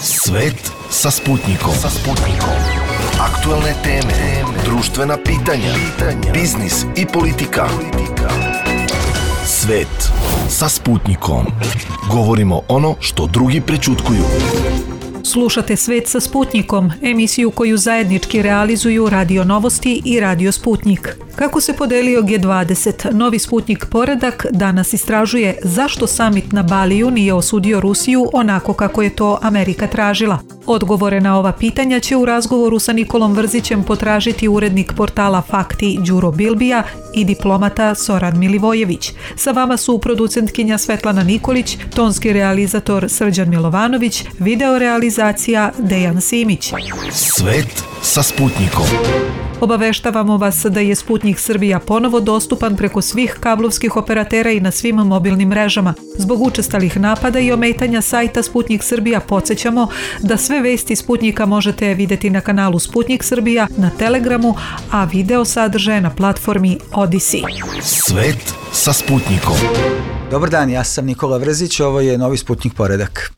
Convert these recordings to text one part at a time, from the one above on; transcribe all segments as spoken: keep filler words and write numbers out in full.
Svet sa Sputnikom. Sa Sputnikom. Aktuelne teme, društvena pitanja, biznis i politika. Svet sa Sputnikom. Govorimo ono što drugi prećutkuju. Slušate Svet sa Sputnikom, emisiju koju zajednički realizuju Radio Novosti i Radio Sputnik. Kako se podelio G dvadeset, novi Sputnik poredak danas istražuje zašto samit na Baliju nije osudio Rusiju onako kako je to Amerika tražila. Odgovore na ova pitanja će u razgovoru sa Nikolom Vrzićem potražiti urednik portala Fakti Đuro Bilbija i diplomata Soran Milivojević. Sa vama su producentkinja Svetlana Nikolić, tonski realizator Srđan Milovanović, video realizacija Dejan Simić. Svet sa Sputnikom. Obaveštavamo vas da je Sputnik Srbija ponovo dostupan preko svih kablovskih operatera i na svim mobilnim mrežama. Zbog učestalih napada i ometanja sajta Sputnik Srbija podsjećamo da sve vesti Sputnika možete vidjeti na kanalu Sputnik Srbija, na Telegramu, a video sadržaje na platformi Odisi. Svet sa Sputnikom. Dobar dan, ja sam Nikola Vrzić, ovo je novi Sputnik poredak.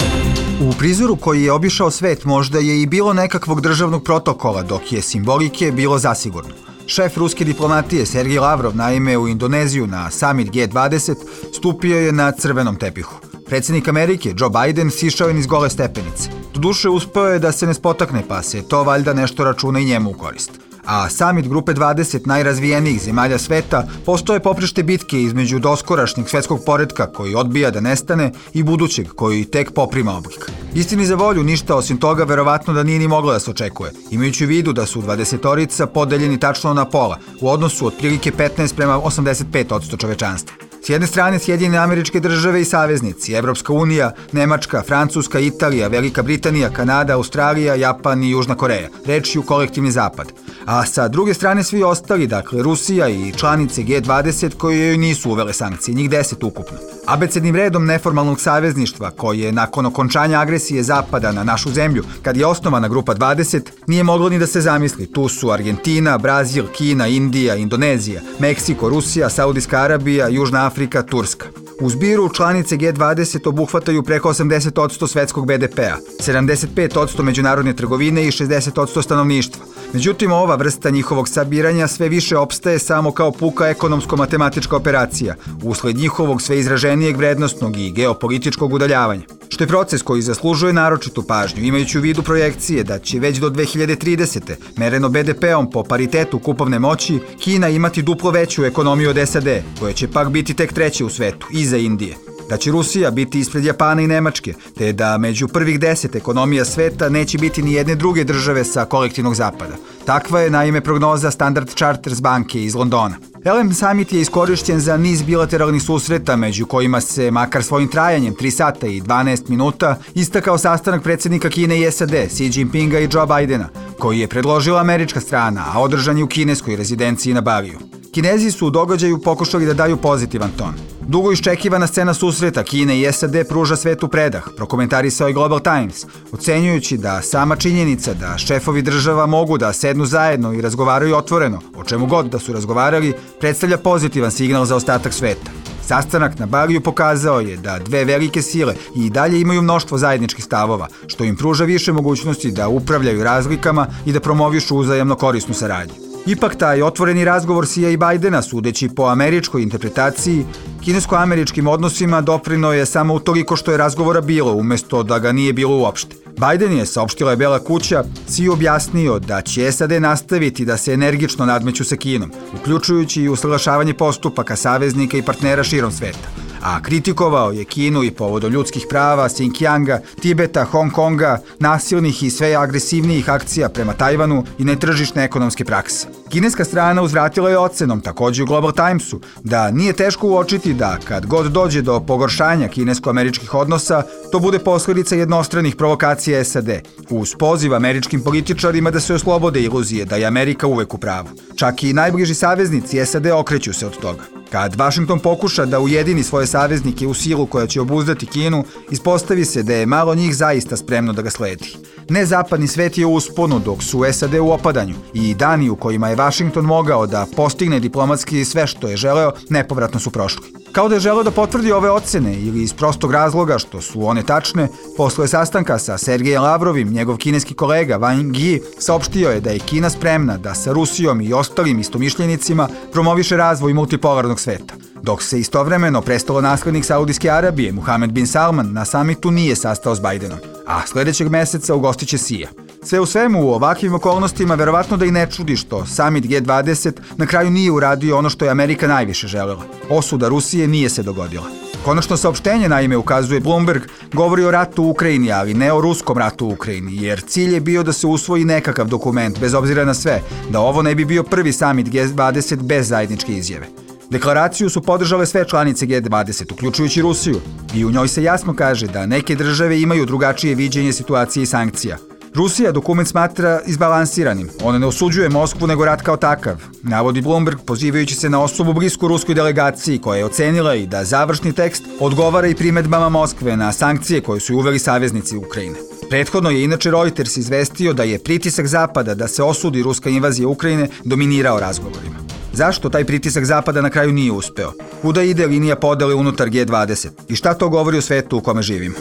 U prizoru koji je obišao svet možda je i bilo nekakvog državnog protokola, dok je simbolike bilo zasigurno. Šef ruske diplomatije Sergej Lavrov naime u Indoneziju na summit G dvadeset stupio je na crvenom tepihu. Predsjednik Amerike Joe Biden sišao je niz gole stepenice. Doduše uspeo je da se ne spotakne, pa se to valjda nešto računa i njemu u korist. A summit grupe dvadeset najrazvijenijih zemalja sveta postao je poprište bitke između doskorašnjeg svetskog poretka koji odbija da nestane i budućeg koji tek poprima oblik. Istini za volju, ništa osim toga verovatno da nije ni moglo da se očekuje, imajući u vidu da su dvadesetorica podeljeni tačno na pola, u odnosu otprilike petnaest prema osamdeset pet posto čovečanstva. S jedne strane Sjedinjene Američke Države i saveznici, Evropska unija, Nemačka, Francuska, Italija, Velika Britanija, Kanada, Australija, Japan i Južna Koreja, rečju kolektivni zapad. A sa druge strane svi ostali, dakle Rusija i članice G dvadeset koje joj nisu uvele sankcije, njih deset ukupno. Abecednim redom neformalnog savezništva koje nakon okončanja agresije Zapada na našu zemlju, kad je osnovana grupa dvadeset, nije moglo ni da se zamisli. Tu su Argentina, Brazil, Kina, Indija, Indonezija, Meksiko, Rusija, Saudijska Arabija, Južna Afrika, Turska. U zbiru članice G dvadeset obuhvataju preko osamdeset posto svetskog be de pea, sedamdeset pet posto međunarodne trgovine i šezdeset posto stanovništva. Međutim, ova vrsta njihovog sabiranja sve više opstaje samo kao puka ekonomsko-matematička operacija, usled njihovog sve izraženijeg vrednostnog i geopolitičkog udaljavanja. Što je proces koji zaslužuje naročitu pažnju, imajući u vidu projekcije da će već do dve hiljade tridesete. mereno be de peom po paritetu kupovne moći, Kina imati duplo veću ekonomiju od es a de, koja će pak biti tek treće u svetu, iza Indije. Da će Rusija biti ispred Japana i Nemačke, te da među prvih deset ekonomija sveta neće biti ni jedne druge države sa kolektivnog zapada. Takva je naime prognoza Standard Chartered banke iz Londona. el em Summit je iskorišćen za niz bilateralnih susreta, među kojima se, makar svojim trajanjem tri sata i dvanaest minuta, istakao sastanak predsjednika Kine i es a de, Xi Jinpinga i Joe Bidena, koji je predložila američka strana, a održan je u kineskoj rezidenciji na Baliju. Kinezi su u događaju pokušali da daju pozitivan ton. Dugo iščekivana scena susreta Kine i es a de pruža svetu predah, prokomentarisao je Global Times, ocenjujući da sama činjenica da šefovi država mogu da sednu zajedno i razgovaraju otvoreno, o čemu god da su razgovarali, predstavlja pozitivan signal za ostatak sveta. Sastanak na Baliju pokazao je da dve velike sile i dalje imaju mnoštvo zajedničkih stavova, što im pruža više mogućnosti da upravljaju razlikama i da promovišu uzajamno korisnu saradnju. Ipak taj otvoreni razgovor Xija i Bidena, sudeći po američkoj interpretaciji, kinesko-američkim odnosima doprino je samo utoliko što je razgovora bilo, umjesto da ga nije bilo uopšte. Biden je, saopštila je Bela kuća, Xi objasnio da će es a de nastaviti da se energično nadmeću sa Kinom, uključujući i usaglašavanje postupaka saveznika i partnera širom sveta. A kritikovao je Kinu i povodom ljudskih prava, Xinjianga, Tibeta, Hong Konga, nasilnih i sve agresivnijih akcija prema Tajvanu i netržišne ekonomske prakse. Kineska strana uzvratila je ocenom, također u Global Timesu, da nije teško uočiti da kad god dođe do pogoršanja kinesko-američkih odnosa, to bude posljedica jednostranih provokacija es a de, uz poziv američkim političarima da se oslobode iluzije da je Amerika uvek u pravu. Čak i najbliži saveznici es a de okreću se od toga. Kad Vašington pokuša da ujedini svoje saveznike u silu koja će obuzdati Kinu, ispostavi se da je malo njih zaista spremno da ga sledi. Nezapadni svet je u usponu dok su es a de u opadanju i dani u kojima je Vašington mogao da postigne diplomatski sve što je želeo nepovratno su prošli. Kao da je želeo da potvrdi ove ocene ili iz prostog razloga što su one tačne, posle sastanka sa Sergejem Lavrovim, njegov kineski kolega Wang Yi saopštio je da je Kina spremna da sa Rusijom i ostalim istomišljenicima promoviše razvoj multipolarnog sveta, dok se istovremeno prestalo naslednik Saudijske Arabije Muhammed bin Salman na samitu nije sastao s Bajdenom, a sledećeg meseca ugostiće Sija. Sve u svemu, u ovakvim okolnostima verovatno da i ne čudi što samit G dvadeset na kraju nije uradio ono što je Amerika najviše želela. Osuda Rusije nije se dogodila. Konačno saopštenje, naime, ukazuje Bloomberg, govori o ratu u Ukrajini, ali ne o ruskom ratu u Ukrajini, jer cilj je bio da se usvoji nekakav dokument, bez obzira na sve, da ovo ne bi bio prvi samit G dvadeset bez zajedničke izjave. Deklaraciju su podržale sve članice G dvadeset, uključujući Rusiju, i u njoj se jasno kaže da neke države imaju drugačije viđenje situacije i sankcija. Rusija dokument smatra izbalansiranim. Ona ne osuđuje Moskvu nego rat kao takav, navodi Bloomberg pozivajući se na osobu blisku ruskoj delegaciji koja je ocenila i da završni tekst odgovara i primedbama Moskve na sankcije koje su uveli saveznici Ukrajine. Prethodno je inače Reuters izvestio da je pritisak Zapada da se osudi ruska invazija Ukrajine dominirao razgovorima. Zašto taj pritisak Zapada na kraju nije uspeo? Kuda ide linija podele unutar G dvadeset? I šta to govori o svetu u kome živimo?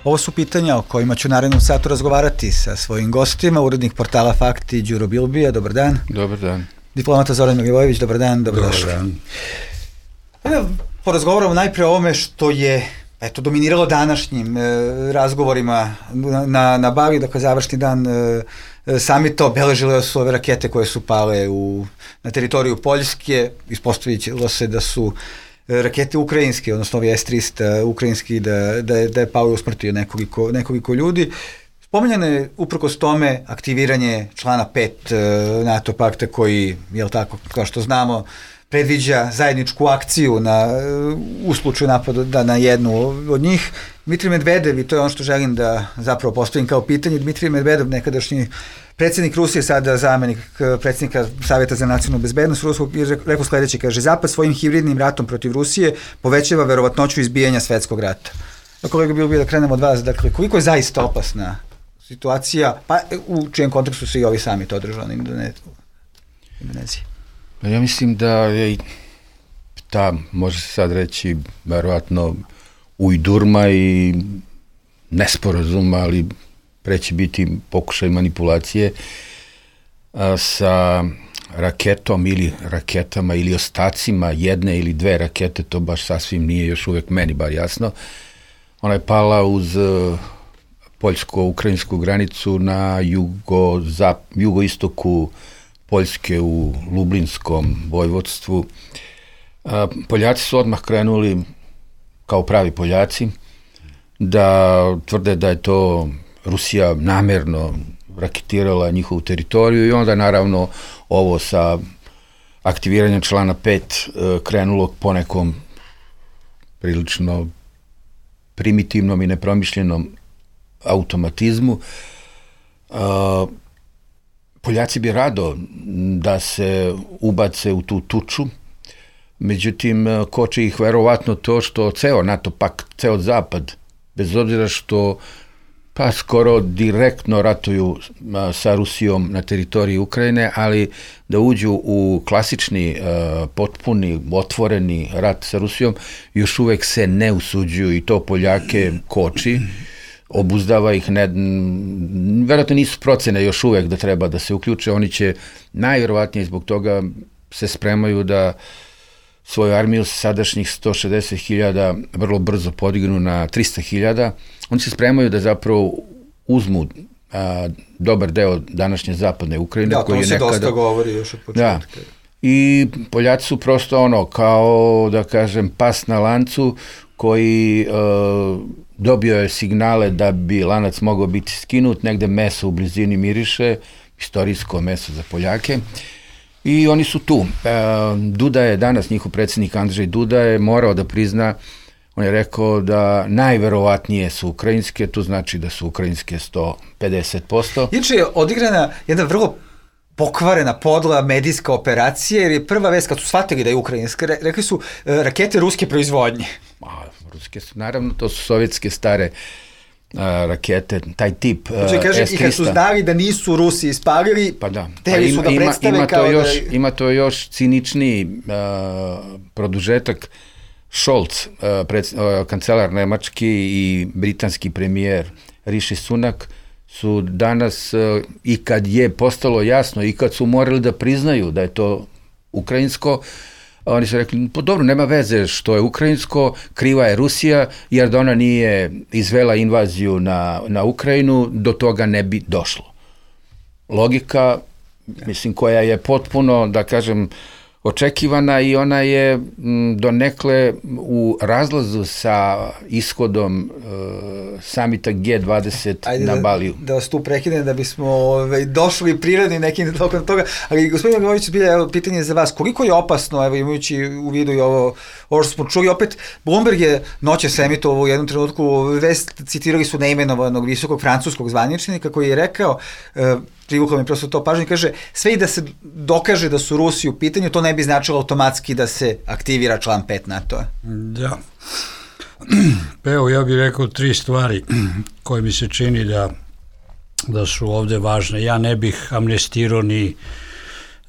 Ovo su pitanja o kojima ću u narednom satu razgovarati sa svojim gostima, urednik portala Fakti Đuro Bilbija, dobar dan. Dobar dan. Diplomata Zoran Milivojević, dobar dan, dobrodošli. Dobar dan. Evo, porazgovaramo najpre o ovome što je eto, dominiralo današnjim e, razgovorima na, na, na Bali, dakle završni dan e, samita, obeležile su ove rakete koje su pale u, na teritoriju Poljske, ispostavilo se da su rakete ukrajinske, odnosno ovi S tristo ukrajinski, da, da, je, da je pao i usmrtio nekoliko, nekoliko ljudi. Spominjano je uprkos tome aktiviranje člana pet NATO pakta koji, jel tako, kao što znamo, predviđa zajedničku akciju na, u slučaju napada na jednu od njih. Dmitrij Medvedev, i to je ono što želim da zapravo postavim kao pitanje, Dmitrij Medvedev, nekadašnji predsjednik Rusije, sada zamenik predsjednika Savjeta za nacionalnu bezbednost ruskog, je rekao sledeće, kaže, Zapad svojim hibridnim ratom protiv Rusije povećava verovatnoću izbijanja svetskog rata. Kolega, bilo bi da krenemo od vas, dakle, koliko je zaista opasna situacija, pa u čijem kontekstu su i ovi samit održani u Indoneziji? Ja mislim da je ta, može se sad reći, verovatno ujdurma i nesporazum, ali preće biti pokušaj manipulacije a, sa raketom ili raketama ili ostacima jedne ili dve rakete, to baš sasvim nije još uvek meni bar jasno. Ona je pala uz uh, poljsko-ukrajinsku granicu na jugo, zap, jugoistoku Poljske u Lublinskom vojvodstvu. A, Poljaci su odmah krenuli, kao pravi Poljaci, da tvrde da je to Rusija namerno raketirala njihovu teritoriju i onda naravno ovo sa aktiviranjem člana pet krenulo po nekom prilično primitivnom i nepromišljenom automatizmu. Poljaci bi rado da se ubace u tu tuču, međutim koči ih verovatno to što ceo NATO pakt, ceo zapad, bez obzira što pa skoro direktno ratuju a, sa Rusijom na teritoriji Ukrajine, ali da uđu u klasični, a, potpuni, otvoreni rat sa Rusijom, još uvek se ne usuđuju i to Poljake koči, obuzdava ih, ne, verovatno nisu procene još uvek da treba da se uključe, oni će najverovatnije zbog toga se spremaju da svoju armiju sadašnjih sto šezdeset hiljada vrlo brzo podignu na trista hiljada. Oni se spremaju da zapravo uzmu a, dobar deo današnje zapadne Ukrajine. Da, to se nekada dosta govori još od početka. Da. I Poljaci su prosto ono, kao da kažem, pas na lancu koji a, dobio je signale da bi lanac mogao biti skinut, negde meso u blizini miriše, istorijsko meso za Poljake. I oni su tu. Duda je danas, njihov predsjednik Andrzej Duda je morao da prizna, on je rekao da najverovatnije su ukrajinske, to znači da su ukrajinske sto pedeset posto. Inače je odigrana jedna vrlo pokvarena, podla medijska operacija, jer je prva vest kad su shvatili da je ukrajinska, rekli su rakete ruske proizvodnje. A, ruske su, naravno, to su sovjetske stare a, rakete, taj tip a, Znači, kaže, S triста. i kad su znali da nisu Rusi ispalili, pa da. teli pa su da ima, predstave ima, kao to još, da... Ima to još ciničniji a, produžetak. Scholz, a, pred, a, kancelar nemački i britanski premijer Rishi Sunak su danas, a, i kad je postalo jasno, i kad su morali da priznaju da je to ukrajinsko, oni su rekli, pa dobro, nema veze što je ukrajinsko, kriva je Rusija, jer da ona nije izvela invaziju na, na Ukrajinu, do toga ne bi došlo. Logika, mislim, koja je potpuno, da kažem, očekivana i ona je m, donekle u razlazu sa ishodom e, samita G dvadeset Ajde na Baliju. Da, da vas tu prekinem da bismo ove, došli prirodni nekim tokom toga, ali gospodin Agrović, bilja, evo, pitanje za vas, koliko je opasno, evo, imajući u vidu i ovo, ovo što smo čuli, opet, Bloomberg je noćas emitovao u jednom trenutku vest, citirali su neimenovanog visokog francuskog zvaničnika koji je rekao, e, privuklo mi prosto to pažnje, kaže, sve i da se dokaže da su Rusi u pitanju, to ne bi značilo automatski da se aktivira član pet NATO-a. Da. Evo, ja bih rekao tri stvari koje mi se čini da, da su ovde važne. Ja ne bih amnestirao ni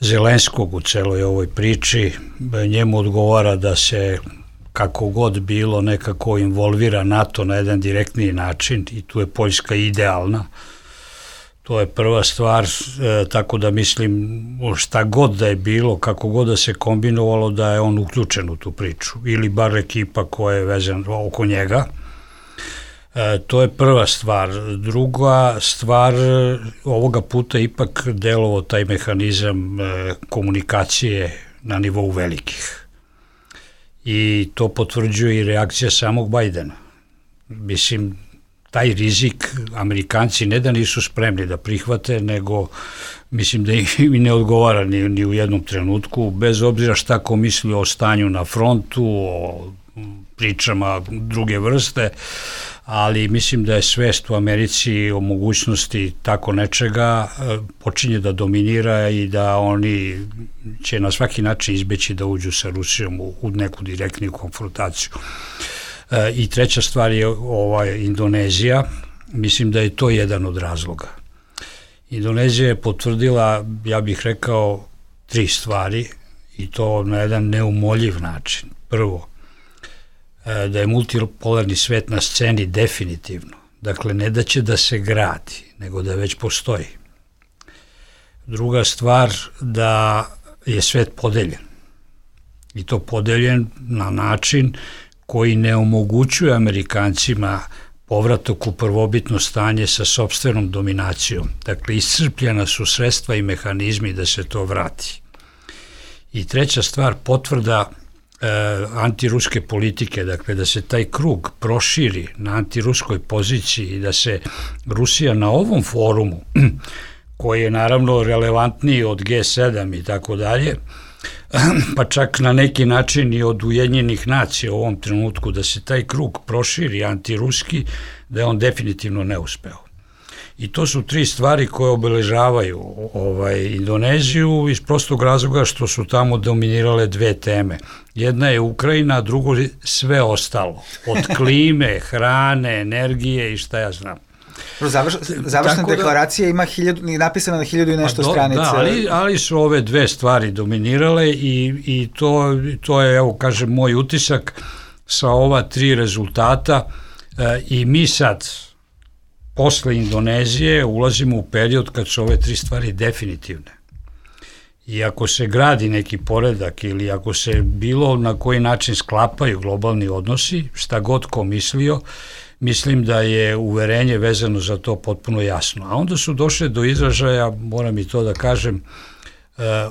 Zelenskog u celoj ovoj priči. Njemu odgovara da se kako god bilo nekako involvira NATO na jedan direktniji način i tu je Poljska idealna. To je prva stvar, e, tako da mislim šta god da je bilo, kako god da se kombinovalo, da je on uključen u tu priču ili bar ekipa koja je vezana oko njega. E, to je prva stvar. Druga stvar, ovoga puta ipak delovao taj mehanizam e, komunikacije na nivou velikih. I to potvrđuje i reakcija samog Bajdena. Mislim, taj rizik Amerikanci ne da nisu spremni da prihvate, nego mislim da im ne odgovara ni, ni u jednom trenutku, bez obzira šta ko misli o stanju na frontu, o pričama druge vrste, ali mislim da je svest u Americi o mogućnosti tako nečega počinje da dominira i da oni će na svaki način izbeći da uđu sa Rusijom u, u neku direktniju konfrontaciju. I treća stvar je ovaj Indonezija, mislim da je to jedan od razloga. Indonezija je potvrdila, ja bih rekao, tri stvari i to na jedan neumoljiv način. Prvo, da je multipolarni svet na sceni definitivno, dakle ne da će da se gradi, nego da već postoji. Druga stvar, da je svet podeljen i to podeljen na način koji ne omogućuje Amerikancima povratak u prvobitno stanje sa sopstvenom dominacijom. Dakle, iscrpljena su sredstva i mehanizmi da se to vrati. I treća stvar, potvrda e, antiruske politike, dakle da se taj krug proširi na antiruskoj poziciji i da se Rusija na ovom forumu, koji je naravno relevantniji od G sedam i tako dalje, pa čak na neki način i od Ujedinjenih nacija u ovom trenutku, da se taj krug proširi antiruski, da je on definitivno neuspeo. I to su tri stvari koje obeležavaju ovaj, Indoneziju iz prostog razloga što su tamo dominirale dve teme. Jedna je Ukrajina, a drugo je sve ostalo. Od klime, hrane, energije i šta ja znam. Završ, završna da, deklaracija ima hiljadu, napisana na hiljadu i nešto do, stranica. Da, ali, ali su ove dve stvari dominirale i, i to, to je, evo kažem, moj utisak sa ova tri rezultata e, i mi sad posle Indonezije ulazimo u period kad su ove tri stvari definitivne. I ako se gradi neki poredak ili ako se bilo na koji način sklapaju globalni odnosi, šta god ko mislio, mislim da je uverenje vezano za to potpuno jasno. A onda su došle do izražaja, moram i to da kažem,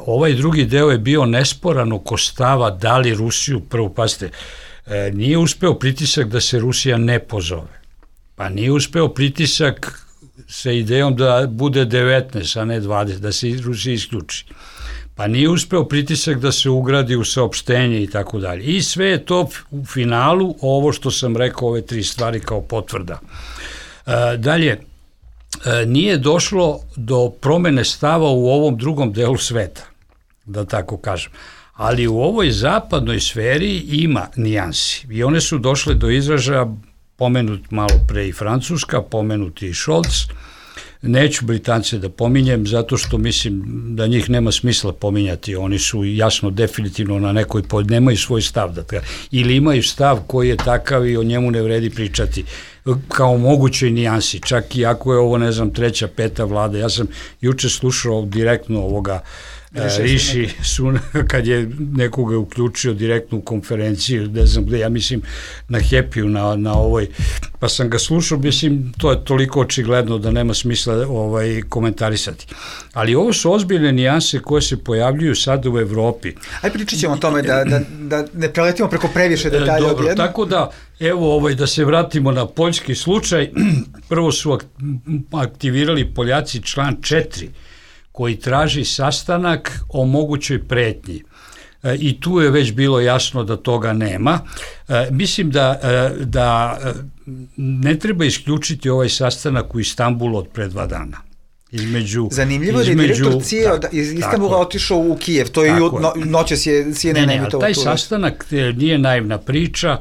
ovaj drugi deo je bio nesporan oko stava da li Rusiju, prvo, pazite, nije uspeo pritisak da se Rusija ne pozove. Pa nije uspeo pritisak sa idejom da bude devetnaest, a ne dvadeset, da se Rusija isključi. Pa nije uspeo pritisak da se ugradi u saopštenje i tako dalje. I sve je to u finalu, ovo što sam rekao, ove tri stvari kao potvrda. E, dalje, e, nije došlo do promene stava u ovom drugom delu sveta, da tako kažem. Ali u ovoj zapadnoj sferi ima nijansi i one su došle do izražaja pomenut malo pre i Francuska, pomenut i Scholz. Neću Britance da pominjem, zato što mislim da njih nema smisla pominjati, oni su jasno definitivno na nekoj pod, nemaju svoj stav, da tka, ili imaju stav koji je takav i o njemu ne vredi pričati, kao mogućoj nijansi, čak i ako je ovo, ne znam, treća, peta vlada. Ja sam juče slušao direktno ovoga Riši Sunak, kad je nekoga uključio direktno u konferenciju, ne znam gde, ja mislim na Happy-u, na, na ovoj, pa sam ga slušao, mislim, to je toliko očigledno da nema smisla ovaj, komentarisati. Ali ovo su ozbiljne nijanse koje se pojavljuju sad u Evropi. Aj pričat ćemo o tome da, da, da ne preletimo preko previše detalja odjedno. Dobro, tako da, evo ovaj, da se vratimo na poljski slučaj, prvo su aktivirali Poljaci član četiri, koji traži sastanak o mogućoj pretnji. E, I tu je već bilo jasno da toga nema. E, mislim da, e, da ne treba isključiti ovaj sastanak u Istanbulu od pre dva dana. Između, Zanimljivo je da je direktor C I A iz Istanbula otišao u Kijev, to je no, noćas je C N N emitovao. Taj sastanak nije naivna priča,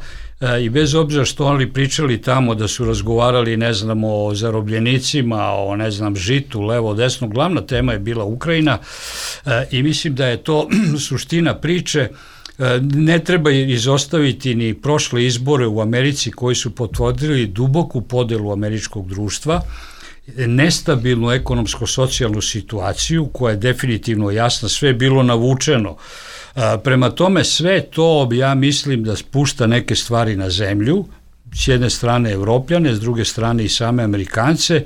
i bez obzira što oni pričali tamo da su razgovarali, ne znam, o zarobljenicima, o, ne znam, žitu, levo, desno, glavna tema je bila Ukrajina i mislim da je to suština priče. Ne treba izostaviti ni prošle izbore u Americi koji su potvrdili duboku podelu američkog društva, nestabilnu ekonomsko-socijalnu situaciju koja je definitivno jasna, sve je bilo navučeno. Prema tome sve to, ja mislim, da spušta neke stvari na zemlju, s jedne strane Evropljane, s druge strane i same Amerikance,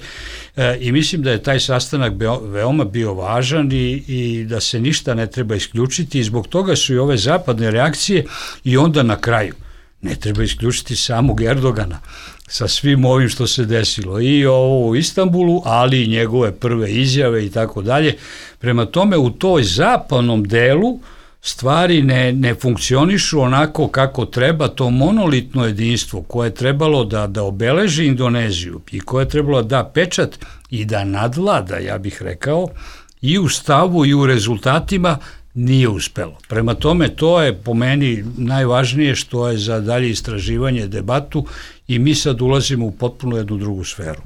i mislim da je taj sastanak veoma bio važan i, i da se ništa ne treba isključiti i zbog toga su i ove zapadne reakcije i onda na kraju ne treba isključiti samog Erdogana sa svim ovim što se desilo i ovo u Istanbulu, ali i njegove prve izjave i tako dalje. Prema tome u toj zapadnom delu stvari ne, ne funkcionišu onako kako treba, to monolitno jedinstvo koje je trebalo da, da obeleži Indoneziju i koje je trebalo da pečat i da nadvlada, ja bih rekao, i u stavu i u rezultatima nije uspelo. Prema tome to je po meni najvažnije što je za dalje istraživanje, debatu i mi sad ulazimo u potpuno jednu drugu sferu.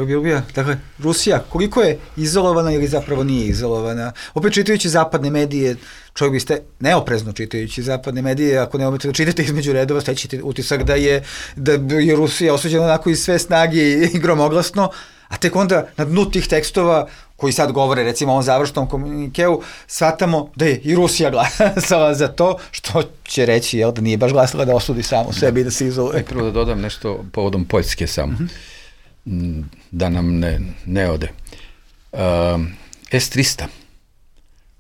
Ljubija, dakle, Rusija, koliko je izolovana ili zapravo nije izolovana? Opet čitajući zapadne medije, čovjek biste neoprezno čitajući zapadne medije, ako ne umete da čitate između redova, stećete utisak da je, da je Rusija osuđena onako iz sve snage i gromoglasno, a tek onda na dnu tih tekstova koji sad govore, recimo o ovom završnom komunikeu, shvatamo da je i Rusija glasala za to, što će reći, jel, da nije baš glasala da osudi samo sebi i da se izoluje. Prvo da dodam nešto povodom Poljske samo. Mm-hmm. Da nam ne, ne ode. Uh, S tristo,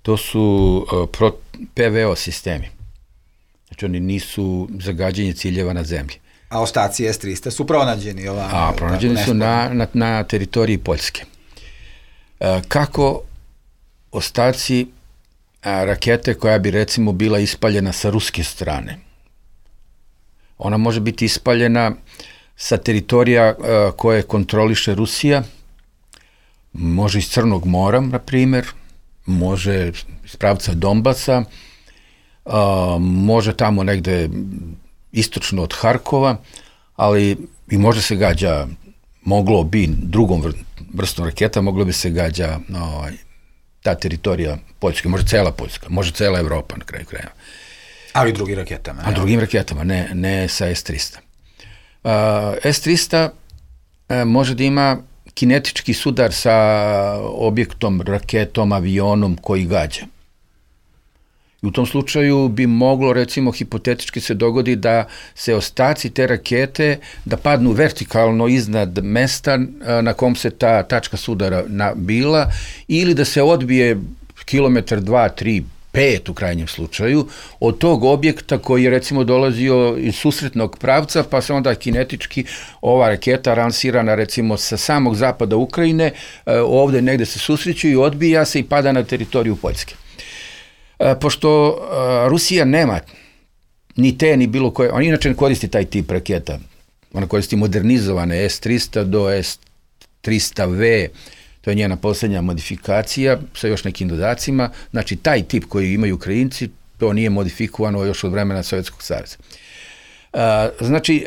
to su uh, pro, P V O sistemi. Znači oni nisu zagađenje ciljeva na zemlji. A ostaci S tristo su pronađeni ovamo? A, pronađeni su na, na, na teritoriji Poljske. Uh, kako ostaci uh, rakete koja bi recimo bila ispaljena sa ruske strane? Ona može biti ispaljena sa teritorija uh, koje kontroliše Rusija, može iz Crnog mora, na primjer, može iz pravca Donbasa, uh, može tamo negde istočno od Harkova, ali i može se gađa, moglo bi drugom vr vrstom raketa, moglo bi se gađa no, ta teritorija Poljske, može cela Poljska, može cela Evropa na kraju krajeva. Ali drugim raketama. A drugim raketama, ne, ne sa S tristo. Uh, S tristo uh, može da ima kinetički sudar sa objektom, raketom, avionom koji gađa. I u tom slučaju bi moglo, recimo, hipotetički se dogodi da se ostaci te rakete da padnu vertikalno iznad mesta uh, na kom se ta tačka sudara na, bila, ili da se odbije kilometar, dva, tri, pet u krajnjem slučaju, od tog objekta koji je recimo dolazio iz susretnog pravca, pa se onda kinetički ova raketa lansirana recimo sa samog zapada Ukrajine, ovde negde se susreću i odbija se i pada na teritoriju Poljske. Pošto Rusija nema ni te, ni bilo koje, on inače ne koristi taj tip raketa, ona koristi modernizovane S tristo do S tristo V, to je njena posljednja modifikacija sa još nekim dodacima. Znači, taj tip koji imaju Ukrajinci, to nije modifikovano još od vremena Sovjetskog saveza. Znači,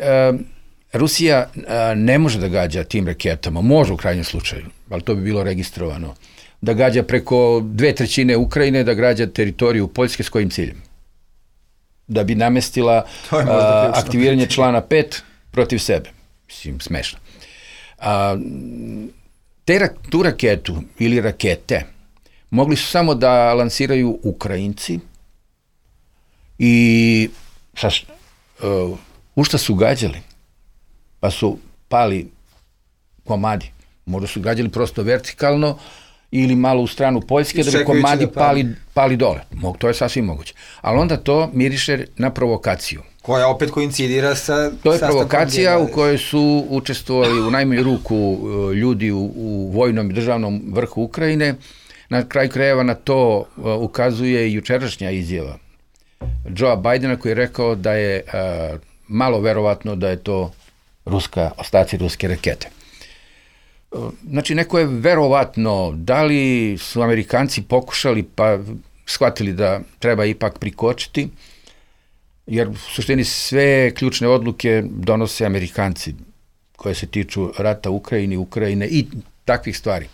Rusija a, ne može da gađa tim raketama, može u krajnjem slučaju, ali to bi bilo registrovano, da gađa preko dve trećine Ukrajine, da gađa teritoriju Poljske s kojim ciljem? Da bi namestila a, aktiviranje člana pet protiv sebe. Mislim, smešno. A, te, tu raketu ili rakete mogli su samo da lansiraju Ukrajinci i sa, uh, u šta su gađali? Pa su pali komadi. Možda su gađali prosto vertikalno ili malo u stranu Poljske, da bi komadi da pali, pali dole. Mog, to je sasvim moguće. Ali onda to miriše na provokaciju. Koja opet koincidira sa... To je provokacija u kojoj su učestvovali u najmanju ruku ljudi u, u vojnom i državnom vrhu Ukrajine. Na kraju krajeva na to ukazuje i jučerašnja izjava Joea Bidena, koji je rekao da je uh, malo verovatno da je to ruska, ostaci ruske rakete. Znači, neko je verovatno, da li su Amerikanci pokušali pa shvatili da treba ipak prikočiti, jer u suštini sve ključne odluke donose Amerikanci koje se tiču rata u Ukrajini, Ukrajine i takvih stvari.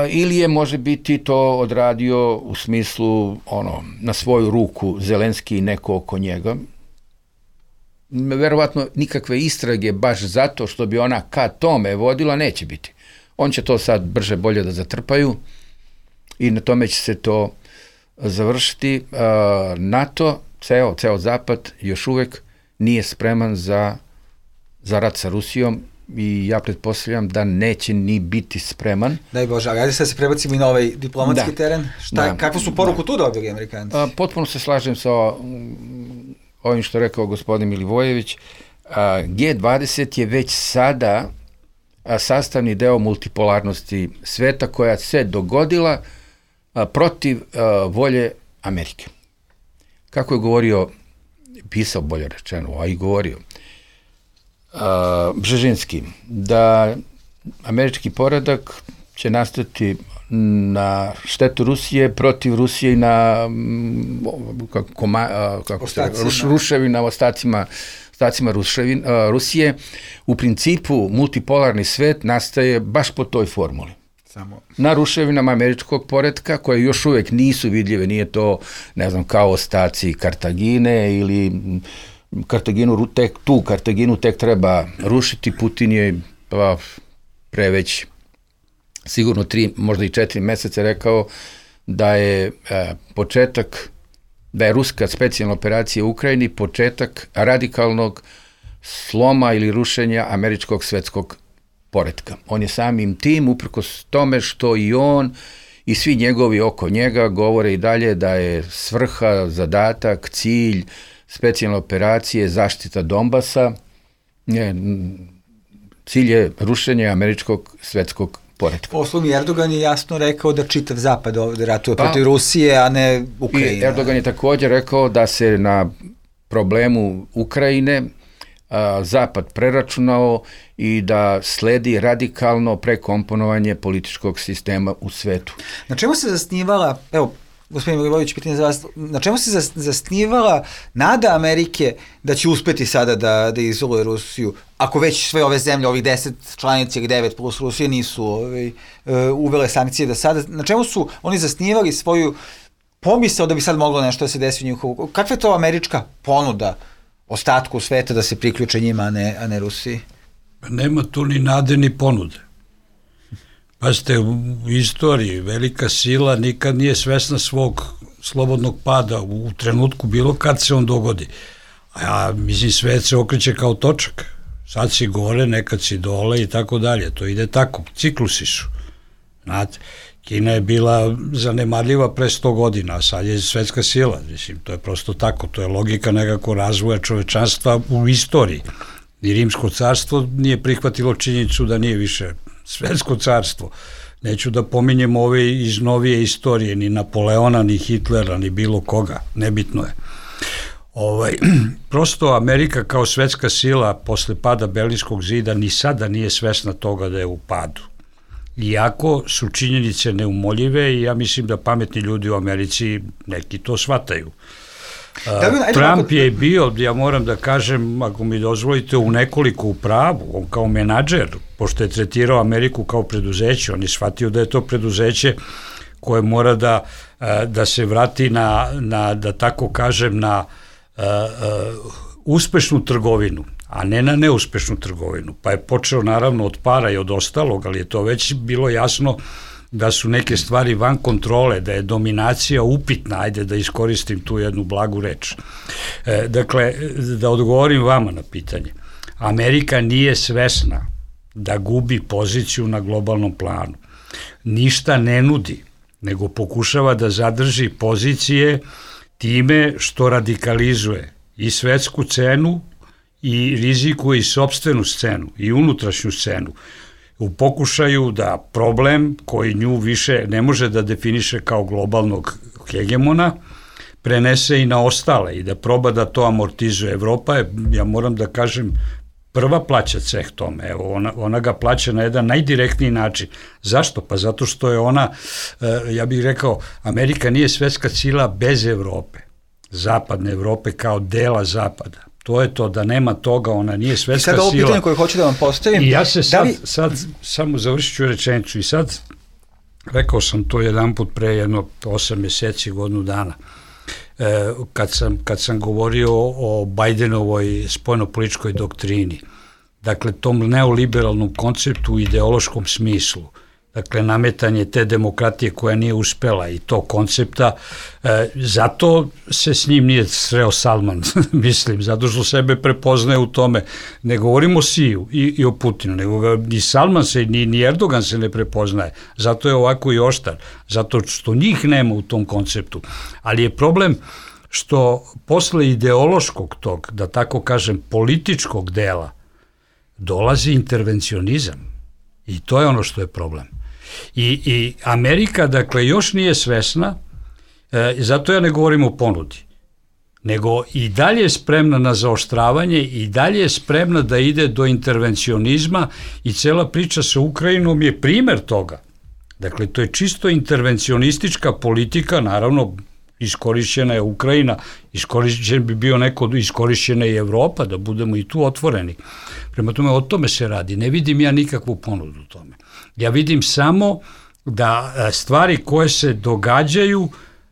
Ili je može biti to odradio u smislu ono, na svoju ruku Zelenski i neko oko njega. Verovatno nikakve istrage baš zato što bi ona ka tome vodila neće biti. On će to sad brže bolje da zatrpaju i na tome će se to završiti. NATO, ceo, ceo Zapad još uvek nije spreman za, za rat sa Rusijom i ja pretpostavljam da neće ni biti spreman. Daj Bože, ali ajde sad se prebacimo i na ovaj diplomatski da. teren. Šta, da. Kakvu su poruku da. tu dobili Amerikanci? A, potpuno se slažem sa ovim što rekao gospodin Milivojević. A, G dvadeset je već sada a, sastavni deo multipolarnosti sveta koja se dogodila a, protiv a, volje Amerike. Kako je govorio, pisao bolje rečeno, a i govorio, Uh, Bžežinski, da američki poredak će nastati na štetu Rusije, protiv Rusije i na kako, koma, kako se, ruš, ruševina, ostacima, ostacima ruševin, uh, Rusije. U principu multipolarni svet nastaje baš po toj formuli. Samo. Na ruševinama američkog poretka, koje još uvek nisu vidljive, nije to, ne znam, kao ostaci Kartagine ili Kartaginu, tek, tu Kartaginu tek treba rušiti. Putin je pa, pre već sigurno tri, možda i četiri meseca rekao da je e, početak, da je ruska specijalna operacija u Ukrajini početak radikalnog sloma ili rušenja američkog svetskog poretka. On je samim tim, uprkos tome što i on i svi njegovi oko njega govore i dalje da je svrha, zadatak, cilj specijalne operacije, zaštita Donbasa, je, cilj je rušenje američkog svetskog poretka. Poslom Erdogan je jasno rekao da čitav zapad ovde ratuje pa, protiv Rusije, a ne Ukrajine. Erdogan je također rekao da se na problemu Ukrajine a, zapad preračunao i da sledi radikalno prekomponovanje političkog sistema u svetu. Na čemu se zasnivala, evo, gospodin Milivojević, pitanje za vas, na čemu se zasnivala nada Amerike da će uspeti sada da, da izoluje Rusiju, ako već sve ove zemlje, ovih deset članica ili devet plus Rusije nisu ovaj, uvele sankcije da sada, na čemu su oni zasnivali svoju pomisao da bi sad moglo nešto da se desi u njihovu, kakva je to američka ponuda ostatku sveta da se priključe njima, a ne, a ne Rusiji? Nema tu ni nade ni ponude. Pazite, u istoriji velika sila nikad nije svesna svog slobodnog pada u trenutku bilo kad se on dogodi. A mislim, svet se okreće kao točak. Sad si gore, nekad si dole i tako dalje. To ide tako, ciklusi su. Znate, Kina je bila zanemarljiva pre sto godina, a sad je svetska sila. Mislim, to je prosto tako, to je logika nekako razvoja čovečanstva u istoriji. Ni Rimsko carstvo nije prihvatilo činjenicu da nije više svetsko carstvo. Neću da pominjem ove iz novije istorije, ni Napoleona, ni Hitlera, ni bilo koga, nebitno je. Ovaj, prosto Amerika kao svetska sila posle pada Berlinskog zida ni sada nije svesna toga da je u padu. Iako su činjenice neumoljive i ja mislim da pametni ljudi u Americi neki to shvataju. Da Trump je bio, ja moram da kažem, ako mi dozvolite, u nekoliko u pravu, on kao menadžer, pošto je tretirao Ameriku kao preduzeće, on je shvatio da je to preduzeće koje mora da, da se vrati na, na, da tako kažem, na uh, uh, uspešnu trgovinu, a ne na neuspešnu trgovinu. Pa je počeo naravno od para i od ostalog, ali je to već bilo jasno da su neke stvari van kontrole, da je dominacija upitna, ajde da iskoristim tu jednu blagu reč. E, dakle, da odgovorim vama na pitanje. Amerika nije svesna da gubi poziciju na globalnom planu. Ništa ne nudi, nego pokušava da zadrži pozicije time što radikalizuje i svetsku cenu i rizikuje i sopstvenu scenu i unutrašnju scenu, u pokušaju da problem koji nju više ne može da definiše kao globalnog hegemona prenese i na ostale i da proba da to amortizuje. Evropa je, ja moram da kažem, prva plaća ceh tome. Evo, ona, ona ga plaća na jedan najdirektniji način. Zašto? Pa zato što je ona, ja bih rekao, Amerika nije svetska sila bez Evrope. Zapadne Evrope kao dela Zapada. To je to, da nema toga, ona nije svetska sila. I sad ovo pitanje koje hoću da vam postavim. I ja se sad, li... sad samo završit ću rečenicu i sad, rekao sam to jedan put pre jedno osam mjeseci, godinu dana, e, kad, sam, kad sam govorio o Bajdenovoj spoljnopolitičkoj doktrini, dakle tom neoliberalnom konceptu u ideološkom smislu, dakle nametanje te demokratije koja nije uspela i to koncepta, e, zato se s njim nije sreo Salman, mislim, zato što sebe prepoznaje u tome. Ne govorimo o Siju i, i o Putinu, nego ga, ni Salman se, ni, ni Erdogan se ne prepoznaje, zato je ovako i oštar, zato što njih nema u tom konceptu. Ali je problem što posle ideološkog tog, da tako kažem, političkog dela, dolazi intervencionizam. I to je ono što je problem. I, i Amerika, dakle, još nije svesna, e, zato ja ne govorim o ponudi, nego i dalje je spremna na zaoštravanje, i dalje je spremna da ide do intervencionizma i cela priča sa Ukrajinom je primer toga. Dakle, to je čisto intervencionistička politika, naravno, iskorišćena je Ukrajina, iskorišćen bi bio neko, iskorišćena i Evropa, da budemo i tu otvoreni. Prema tome, o tome se radi. Ne vidim ja nikakvu ponudu u tome. Ja vidim samo da stvari koje se događaju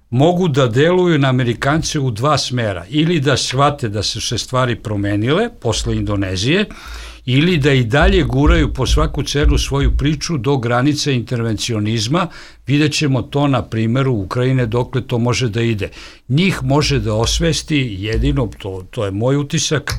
mogu da deluju na Amerikance u dva smera. Ili da shvate da su se stvari promenile posle Indonezije, ili da i dalje guraju po svaku cenu svoju priču do granice intervencionizma. Vidjet ćemo to na primjeru Ukrajine dokle to može da ide. Njih može da osvesti jedino, to, to je moj utisak,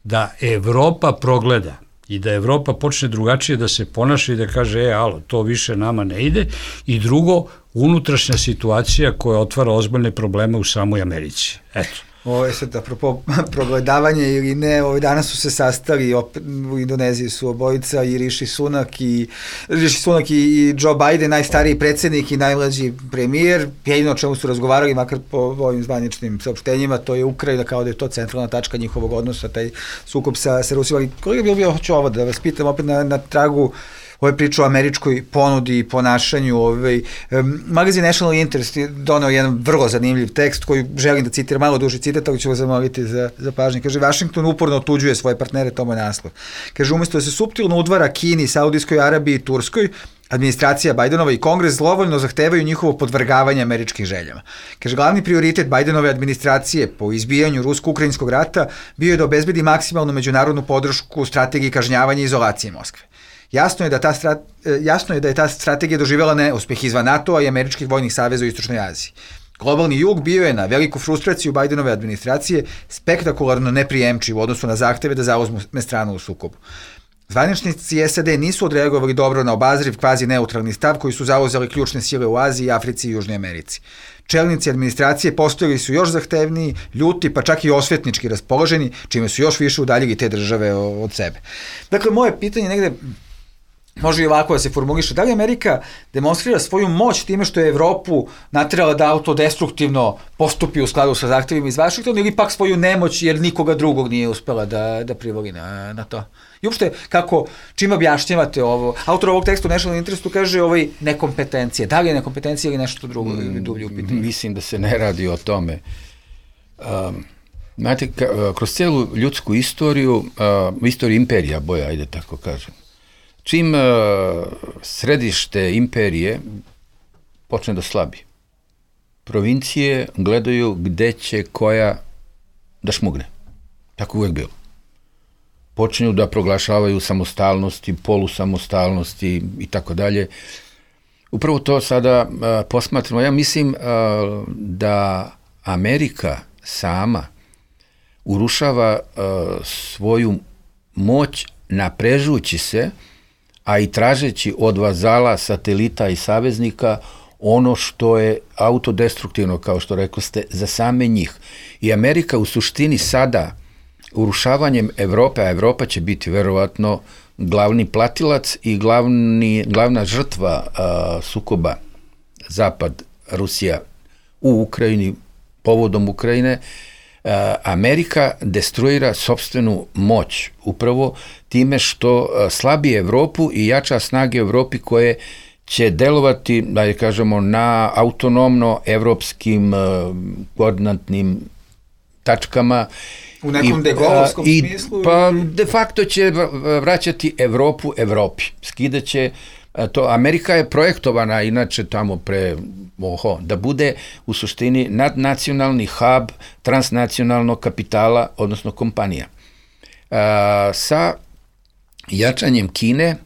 da Evropa progleda i da Evropa počne drugačije da se ponaša i da kaže, e, alo, to više nama ne ide. I drugo, unutrašnja situacija koja otvara ozbiljne probleme u samoj Americi. Eto. Ovo je sad, apropo progledavanje ili ne, ovaj, danas su se sastali, opet, u Indoneziji su obojica i Rishi Sunak i, Rishi Sunak i, i Joe Biden, najstariji predsjednik i najmlađi premijer. Jedino o čemu su razgovarali, makar po ovim zvaničnim saopštenjima, to je Ukrajina, kao da je to centralna tačka njihovog odnosa, taj sukob sa, sa Rusijom. Ali kolega bi bio, hoću ovo da vas pitam opet na, na tragu ove priče o američkoj ponudi i ponašanju. Ovaj, um, magazin National Interest je donao jedan vrlo zanimljiv tekst koji želim da citiram, malo duži citat, ali ću vas zamoliti za, za pažnje. Kaže, Washington uporno otuđuje svoje partnere, to mu je naslov. Kaže, umjesto da se suptilno udvara Kini, Saudijskoj Arabiji i Turskoj, administracija Bajdenova i Kongres zlovoljno zahtevaju njihovo podvrgavanje američkih željama. Kaže, glavni prioritet Bajdenove administracije po izbijanju rusko-ukrajinskog rata bio je da obezbedi maksimalnu međunarodnu podršku strategiji kažnjavanja i izolacije Moskve. Jasno je, da ta strat, jasno je da je ta strategija doživjela neuspeh izvan NATO-a i američkih vojnih saveza u Istočnoj Aziji. Globalni jug bio je na veliku frustraciju Bajdenove administracije spektakularno neprijemčiv u odnosu na zahteve da zauzme stranu u sukobu. Zvaničnici S A D nisu odreagovali dobro na obazriv kvazi neutralni stav koji su zauzeli ključne sile u Aziji, Africi i Južnoj Americi. Čelnici administracije postojali su još zahtevniji, ljuti, pa čak i osvetnički raspoloženi, čime su još više udaljili te države od sebe. Dakle, moje pitanje negde može i ovako da se formuliše. Da li Amerika demonstrira svoju moć time što je Evropu naterala da autodestruktivno postupi u skladu sa zahtevima iz Vašingtona, ili pak svoju nemoć jer nikoga drugog nije uspela da, da privoli na, na to? I uopšte, kako, čim objašnjavate ovo? Autor ovog teksta u National Interestu kaže ovaj, nekompetencije. Da li je nekompetencija ili nešto drugo ili dublje u pitanju? Mislim da se ne radi o tome. Um, znate, ka, kroz cijelu ljudsku istoriju, uh, istoriju imperija, boja, ajde tako kažem, čim uh, središte imperije počne da slabi, provincije gledaju gde će koja da šmugne. Tako uvek bilo. Počinju da proglašavaju samostalnosti, polusamostalnosti i tako dalje. Upravo to sada uh, posmatramo. Ja mislim uh, da Amerika sama urušava uh, svoju moć naprežući se, a i tražeći od vazala, satelita i saveznika ono što je autodestruktivno, kao što rekli ste, za same njih. I Amerika u suštini sada urušavanjem Evrope, a Evropa će biti verovatno glavni platilac i glavni, glavna žrtva a, sukoba Zapad, Rusija u Ukrajini, povodom Ukrajine, a, Amerika destruira sopstvenu moć upravo time što a, slabi Evropu i jača snage Evropi koje će delovati, da je kažemo, na autonomno evropskim a, koordinatnim tačkama. U nekom degolovskom smislu? Pa de facto će vraćati Evropu Evropi. Skidaće to. Amerika je projektovana inače tamo pre, oho, da bude u suštini nadnacionalni hub transnacionalnog kapitala, odnosno kompanija. A, sa jačanjem Kine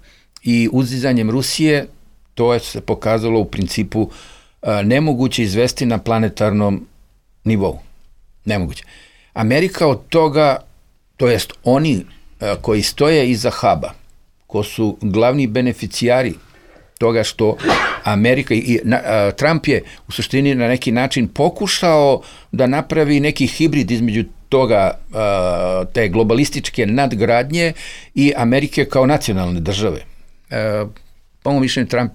i uzizanjem Rusije, to je se pokazalo u principu a, nemoguće izvesti na planetarnom nivou. Nemoguće. Amerika od toga, to jest oni a, koji stoje iza huba, ko su glavni beneficijari toga što Amerika i na, a, Trump je u suštini na neki način pokušao da napravi neki hibrid između toga, a, te globalističke nadgradnje i Amerike kao nacionalne države. A, po mom mišljenju Trump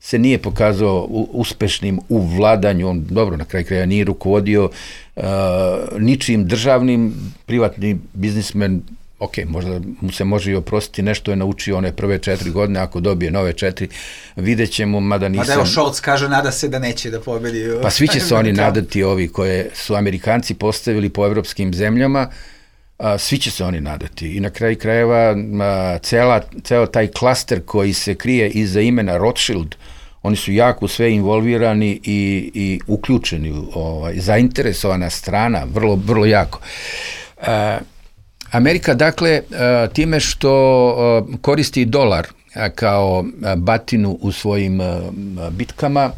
se nije pokazao uspešnim u vladanju, on dobro na kraju kraja nije rukovodio uh, ničim državnim, privatni biznismen, ok, možda mu se može i oprostiti, nešto je naučio one prve četiri godine, ako dobije nove četiri, vidjet ćemo, mada nisam... Mada evo Scholz kaže, nada se da neće da pobedi. Pa svi će se oni nadati, ovi koje su Amerikanci postavili po evropskim zemljama, a, svi će se oni nadati. I na kraju krajeva a, cela, ceo taj klaster koji se krije iza imena Rothschild, oni su jako sve involvirani i, i uključeni, ovaj, zainteresovana strana, vrlo, vrlo jako. A, Amerika, dakle, a, time što a, koristi dolar a, kao a, batinu u svojim a, bitkama,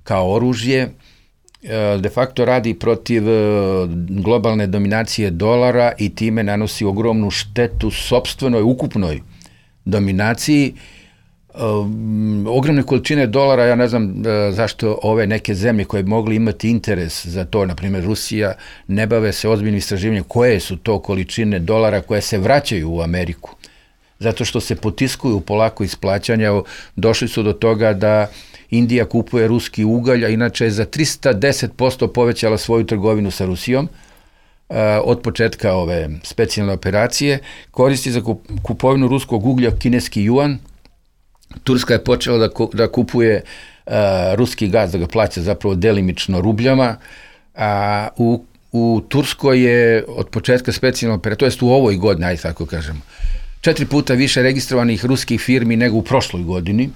kao oružje, de facto radi protiv globalne dominacije dolara i time nanosi ogromnu štetu sopstvenoj, ukupnoj dominaciji. Um, ogromne količine dolara, ja ne znam uh, zašto ove neke zemlje koje bi mogli imati interes za to, na primjer Rusija, ne bave se ozbiljnim istraživanjem koje su to količine dolara koje se vraćaju u Ameriku. Zato što se potiskuju polako iz plaćanja, došli su do toga da Indija kupuje ruski ugalj, a inače je za trista deset posto povećala svoju trgovinu sa Rusijom uh, od početka ove specijalne operacije, koristi za kupovinu ruskog uglja kineski juan. Turska je počela da, da kupuje uh, ruski gaz, da ga plaća zapravo delimično rubljama, a u, u Turskoj je od početka specijalne operacije, to jest u ovoj godini, ajde tako kažemo, četiri puta više registrovanih ruskih firmi nego u prošloj godini.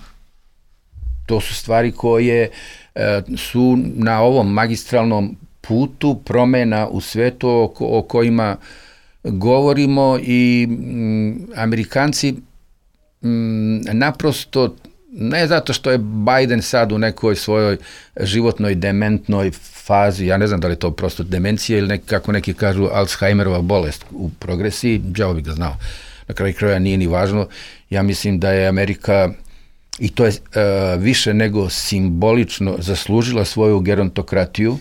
To su stvari koje e, su na ovom magistralnom putu promena u svetu o, o kojima govorimo i m, Amerikanci m, naprosto, ne zato što je Biden sad u nekoj svojoj životnoj dementnoj fazi, ja ne znam da li je to prosto demencija ili nek, kako neki kažu Alzheimerova bolest u progresiji, đavo bi ga znao. Na kraju kraja nije ni važno. Ja mislim da je Amerika, i to je uh, više nego simbolično, zaslužila svoju gerontokratiju.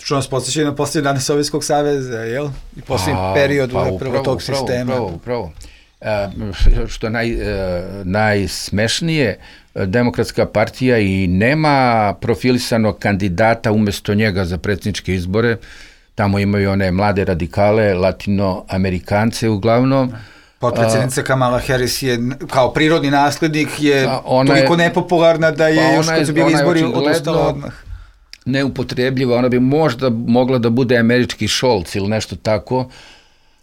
Što nas podsjeća na posljednje dane Sovjetskog saveza, jel? I posljednji pa, period pa, upravo tog upravo, sistema. Upravo, upravo. Uh, što je naj, uh, najsmešnije, Demokratska partija i nema profilisanog kandidata umesto njega za predsjedničke izbore. Tamo imaju one mlade radikale, latinoamerikance uglavnom. Potpredsjednica Kamala Harris je kao prirodni naslednik je toliko nepopularna da je pa još kad su bili izbori odustala odmah. neupotrebljiva, ona bi možda mogla da bude američki Scholz ili nešto tako.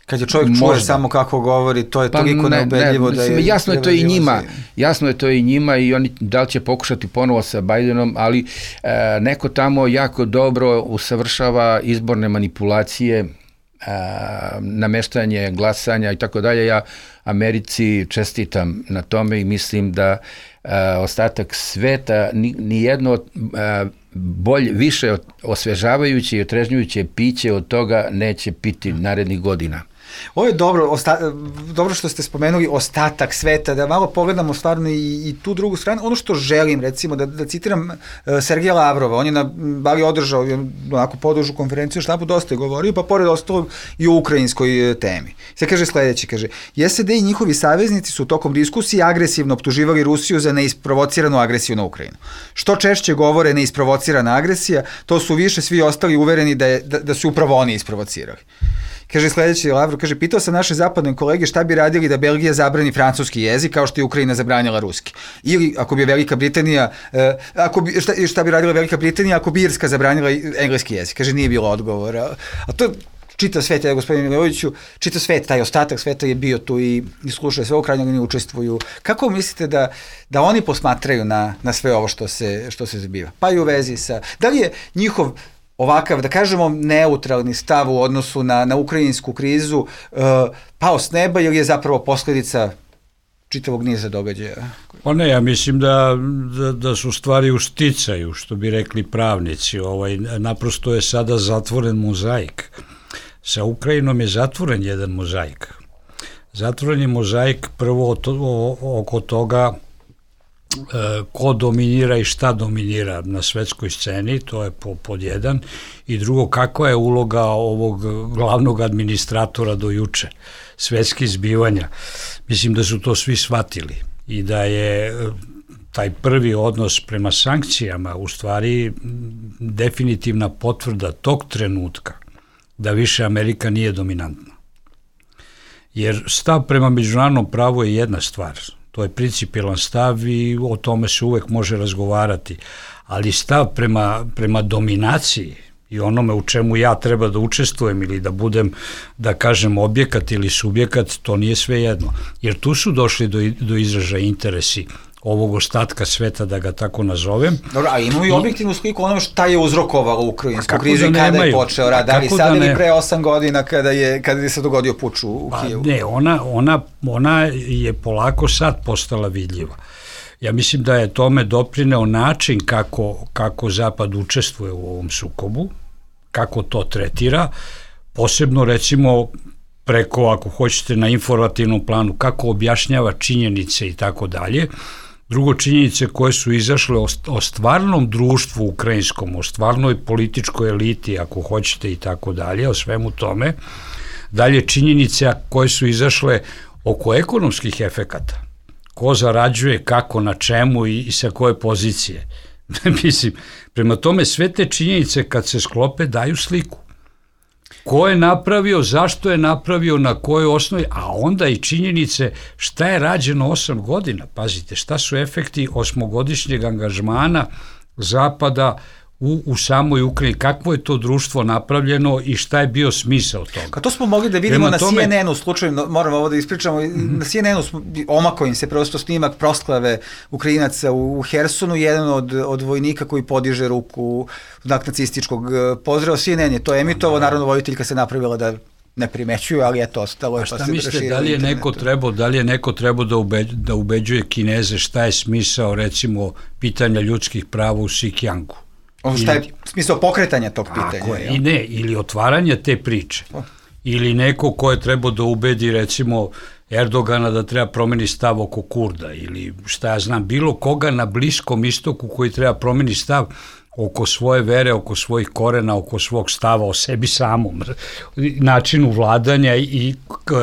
Kad je čovjek čuje samo kako govori, to je pa toliko ne, neubedljivo ne, da je... Jasno je to i njima, jasno je to i njima i oni da li će pokušati ponovo sa Bidenom, ali e, neko tamo jako dobro usavršava izborne manipulacije, e, nameštanje glasanja i tako dalje. Ja Americi čestitam na tome i mislim da e, ostatak sveta ni, ni jedno e, bolje, više osvežavajuće i otrežnjujuće piće od toga neće piti narednih godina. Ovo je dobro, osta, dobro što ste spomenuli ostatak sveta, da malo pogledamo stvarno i, i tu drugu stranu. Ono što želim, recimo, da, da citiram uh, Sergeja Lavrova, on je na Bali održao onako podužu konferenciju, štapu dosta je govorio, pa pored ostalog i o ukrajinskoj uh, temi. Sve kaže sledeće, kaže, S A D i njihovi saveznici su tokom diskusije agresivno optuživali Rusiju za neisprovociranu agresiju na Ukrajinu. Što češće govore neisprovocirana agresija, to su više svi ostali uvereni da, je, da, da su upravo oni isprovocirali. Kaže sledeći Lavrov, kaže, pitao sam naše zapadne kolege šta bi radili da Belgija zabrani francuski jezik kao što je Ukrajina zabranila ruski. Ili ako bi Velika Britanija, eh, ako bi, šta, šta bi radila Velika Britanija ako bi Irska zabranila engleski jezik. Kaže, nije bilo odgovora. A to čitav svet, je, gospodine Miloviću, čitav svet, taj ostatak sveta je bio tu i, i slušaju sve, u krajnjoj liniji učestvuju. Kako mislite da, da oni posmatraju na, na sve ovo što se, što se zbiva? Pa i u vezi sa... Da li je njihov ovakav, da kažemo, neutralni stav u odnosu na, na ukrajinsku krizu uh, pao s neba ili je zapravo posledica čitavog niza događaja? Pa ne, ja mislim da, da, da su stvari u sticaju, što bi rekli pravnici. Ovaj, naprosto je sada zatvoren mozaik. Sa Ukrajinom je zatvoren jedan mozaik. Zatvoren je mozaik prvo to, o, oko toga ko dominira i šta dominira na svetskoj sceni, to je po, pod jedan, i drugo, kakva je uloga ovog glavnog administratora do juče, svetskih zbivanja. Mislim da su to svi shvatili i da je taj prvi odnos prema sankcijama u stvari definitivna potvrda tog trenutka da više Amerika nije dominantna. Jer stav prema međunarodnom pravu je jedna stvar, to je principijelan stav i o tome se uvek može razgovarati, ali stav prema, prema dominaciji i onome u čemu ja treba da učestvujem ili da budem, da kažem, objekat ili subjekat, to nije sve jedno. Jer tu su došli do, do izražaja interesi ovog ostatka sveta, da ga tako nazovem. Dobro, a imamo i objektivnu sliku onome šta je uzrokovalo ukrajinsku krizu i kada nemaju? Je počeo rad, da li sad da ili ne... pre osam godina kada je, kada je se dogodio puč u, u pa, Kijevu? Ne, ona, ona, ona je polako sad postala vidljiva. Ja mislim da je tome doprineo način kako, kako Zapad učestvuje u ovom sukobu, kako to tretira, posebno recimo preko, ako hoćete, na informativnom planu, kako objašnjava činjenice i tako dalje. Drugo, činjenice koje su izašle o, o stvarnom društvu ukrajinskom, o stvarnoj političkoj eliti, ako hoćete, i tako dalje, o svemu tome. Dalje, činjenice koje su izašle oko ekonomskih efekata. Ko zarađuje, kako, na čemu i, i sa koje pozicije. Mislim, prema tome sve te činjenice kad se sklope daju sliku. Ko je napravio, zašto je napravio, na kojoj osnovi, a onda i činjenice šta je rađeno osam godina. Pazite, šta su efekti osmogodišnjeg angažmana Zapada u, u samoj Ukrajini, kakvo je to društvo napravljeno i šta je bio smisao toga. Ka to smo mogli da vidimo na tome... C N N-u, slučajno, moramo ovo da ispričamo, mm-hmm. na C N N-u omako im se prosto snimak prosklave Ukrajinaca u, u Hersonu, jedan od, od vojnika koji podiže ruku znak nacističkog pozdrava. C N N je to emitovao, naravno vojiteljka se napravila da ne primećuju, ali eto, ostalo je. A šta mislite, da li je neko trebao, da li je neko trebao da, ubeđ, da ubeđuje Kineze šta je smisao, recimo, pitanja ljudskih prava u Sikjangu? Ono šta je smisao pokretanja tog pitanja. Tako je, i ne, ili otvaranja te priče. O. Ili neko ko je trebao da ubedi, recimo, Erdogana da treba promeni stav oko Kurda, ili šta ja znam, bilo koga na Bliskom istoku koji treba promeni stav oko svoje vere, oko svojih korena, oko svog stava o sebi samom, načinu vladanja i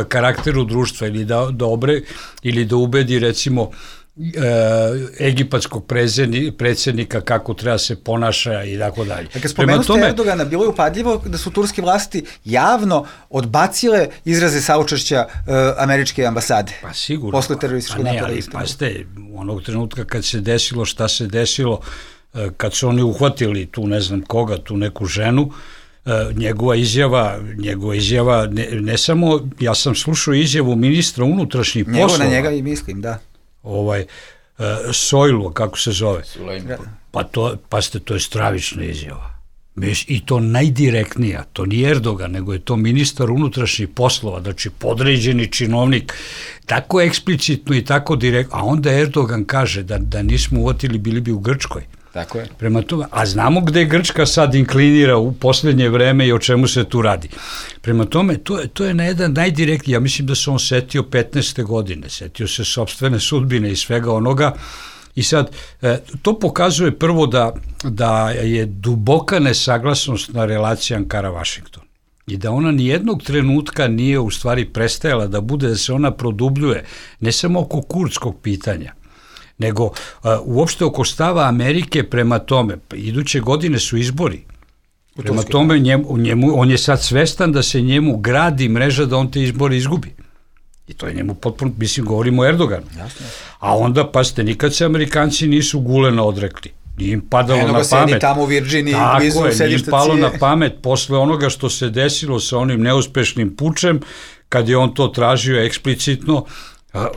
karakteru društva, ili da, da obre, ili da ubedi, recimo, E, egipatskog predsjednika kako treba se ponaša i tako dalje. Dakle, spomenuo ste Erdogana, bilo je upadljivo da su turske vlasti javno odbacile izraze saučešća uh, američke ambasade. Pa sigurno. Posle terorističkog pa napada. Ali, pa ste, onog trenutka kad se desilo šta se desilo, kad su oni uhvatili tu ne znam koga, tu neku ženu, njegova izjava, njegova izjava ne, ne samo, ja sam slušao izjavu ministra unutrašnjih poslova. Njegov na njega i mislim, da. Ovaj, Sojlu, kako se zove. Sulejman. Pa to, pa ste, to je stravična izjava. I to najdirektnija, to nije Erdogan, nego je to ministar unutrašnjih poslova, znači podređeni činovnik, tako eksplicitno i tako direktno, a onda Erdogan kaže da, da nismo uvotili, bili bi u Grčkoj. Tako je. Prema tome, a znamo gde Grčka sad inklinira u poslednje vreme i o čemu se tu radi. Prema tome, to je, to je na jedan najdirektniji, ja mislim da se on setio petnaeste godine, setio se sopstvene sudbine i svega onoga. I sad, to pokazuje prvo da, da je duboka nesaglasnost na relaciji Ankara-Vašington i da ona nijednog trenutka nije u stvari prestajala da bude, da se ona produbljuje, ne samo oko kurdskog pitanja, nego uh, uopšte oko stava Amerike prema tome. Iduće godine su izbori. Prema tome, njemu, njemu, on je sad svestan da se njemu gradi mreža da on te izbore izgubi. I to je njemu potpuno, mislim, govorimo o Erdoganu. Jasne. A onda, pa ste, nikad se Amerikanci nisu Gulena odrekli. Nije im padalo Eno na pamet. Sedi tamo u Virginiji, blizu sedišta Cije. Nije im palo na pamet posle onoga što se desilo sa onim neuspešnim pučem, kad je on to tražio eksplicitno,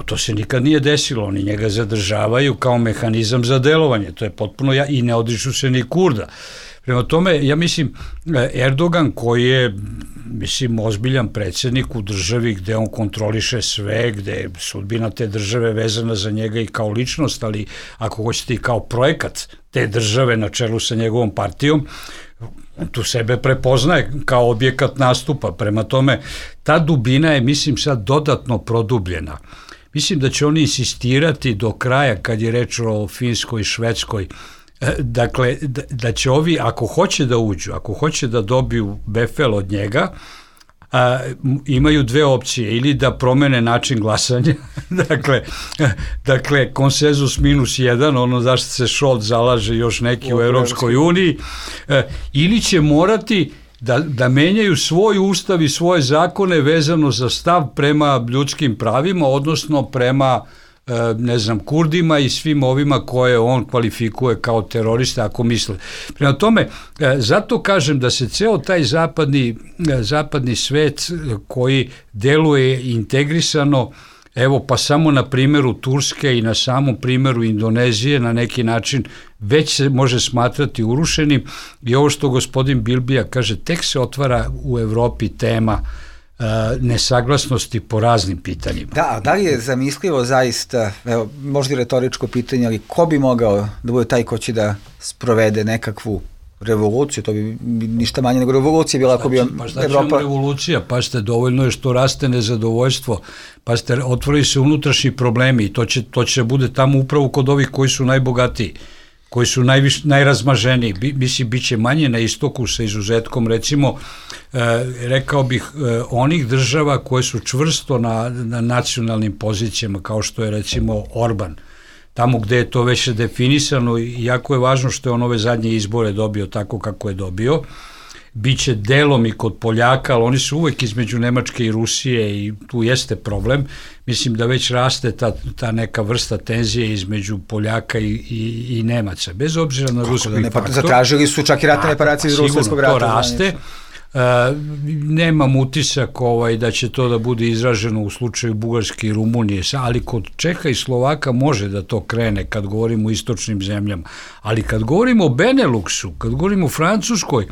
to se nikad nije desilo. Oni njega zadržavaju kao mehanizam za delovanje. To je potpuno, ja, i ne odriču se ni Kurda. Prema tome, ja mislim, Erdogan koji je, mislim, ozbiljan predsjednik u državi gde on kontroliše sve, gde je sudbina te države vezana za njega i kao ličnost, ali ako hoćete i kao projekat te države na čelu sa njegovom partijom, on tu sebe prepoznaje kao objekat nastupa. Prema tome, ta dubina je, mislim, sad dodatno produbljena. Mislim da će oni insistirati do kraja kad je reč o Finskoj i Švedskoj. Dakle, da, da će ovi, ako hoće da uđu, ako hoće da dobiju befel od njega, a, imaju dve opcije, ili da promene način glasanja, dakle, dakle, konsenzus minus jedan, ono zašto se Scholz zalaže još neki u Europskoj uniji, a, ili će morati da, da menjaju svoj ustav i svoje zakone vezano za stav prema ljudskim pravima, odnosno prema ne znam, Kurdima i svim ovima koje on kvalifikuje kao teroriste, ako misle. Prema tome, zato kažem da se ceo taj zapadni, zapadni svet koji deluje integrisano, evo pa samo na primjeru Turske i na samom primjeru Indonezije na neki način već se može smatrati urušenim i ovo što gospodin Bilbija kaže, tek se otvara u Evropi tema nesaglasnosti po raznim pitanjima. Da, da li je zamislivo zaista, evo, možda i retoričko pitanje, ali ko bi mogao da bude taj ko će da sprovede nekakvu revoluciju, to bi ništa manje nego revolucija bila ako bi Evropa... Pa šta će vam revolucija? Pa ste, dovoljno je što raste nezadovoljstvo, pa ste, otvori se unutrašnji problemi i to će, to će bude tamo upravo kod ovih koji su najbogatiji, koji su najviš, najrazmaženiji. Bi, mislim, bit će manje na istoku sa izuzetkom, recimo, e, rekao bih, e, onih država koje su čvrsto na, na nacionalnim pozicijama, kao što je, recimo, Orban. Tamo gde je to već definisano i jako je važno što je on ove zadnje izbore dobio tako kako je dobio. Biće delom i kod Poljaka, ali oni su uvek između Nemačke i Rusije i tu jeste problem. Mislim da već raste ta, ta neka vrsta tenzije između Poljaka i, i, i Nemaca, bez obzira na ruski da ne, faktor. Zatražili su čak i ratne reparacije iz Ruskog rata. To raste. Uh, nemam utisak ovaj, da će to da bude izraženo u slučaju Bugarske i Rumunije, ali kod Čeha i Slovaka može da to krene kad govorimo o istočnim zemljama. Ali kad govorimo o Beneluxu, kad govorimo o Francuskoj,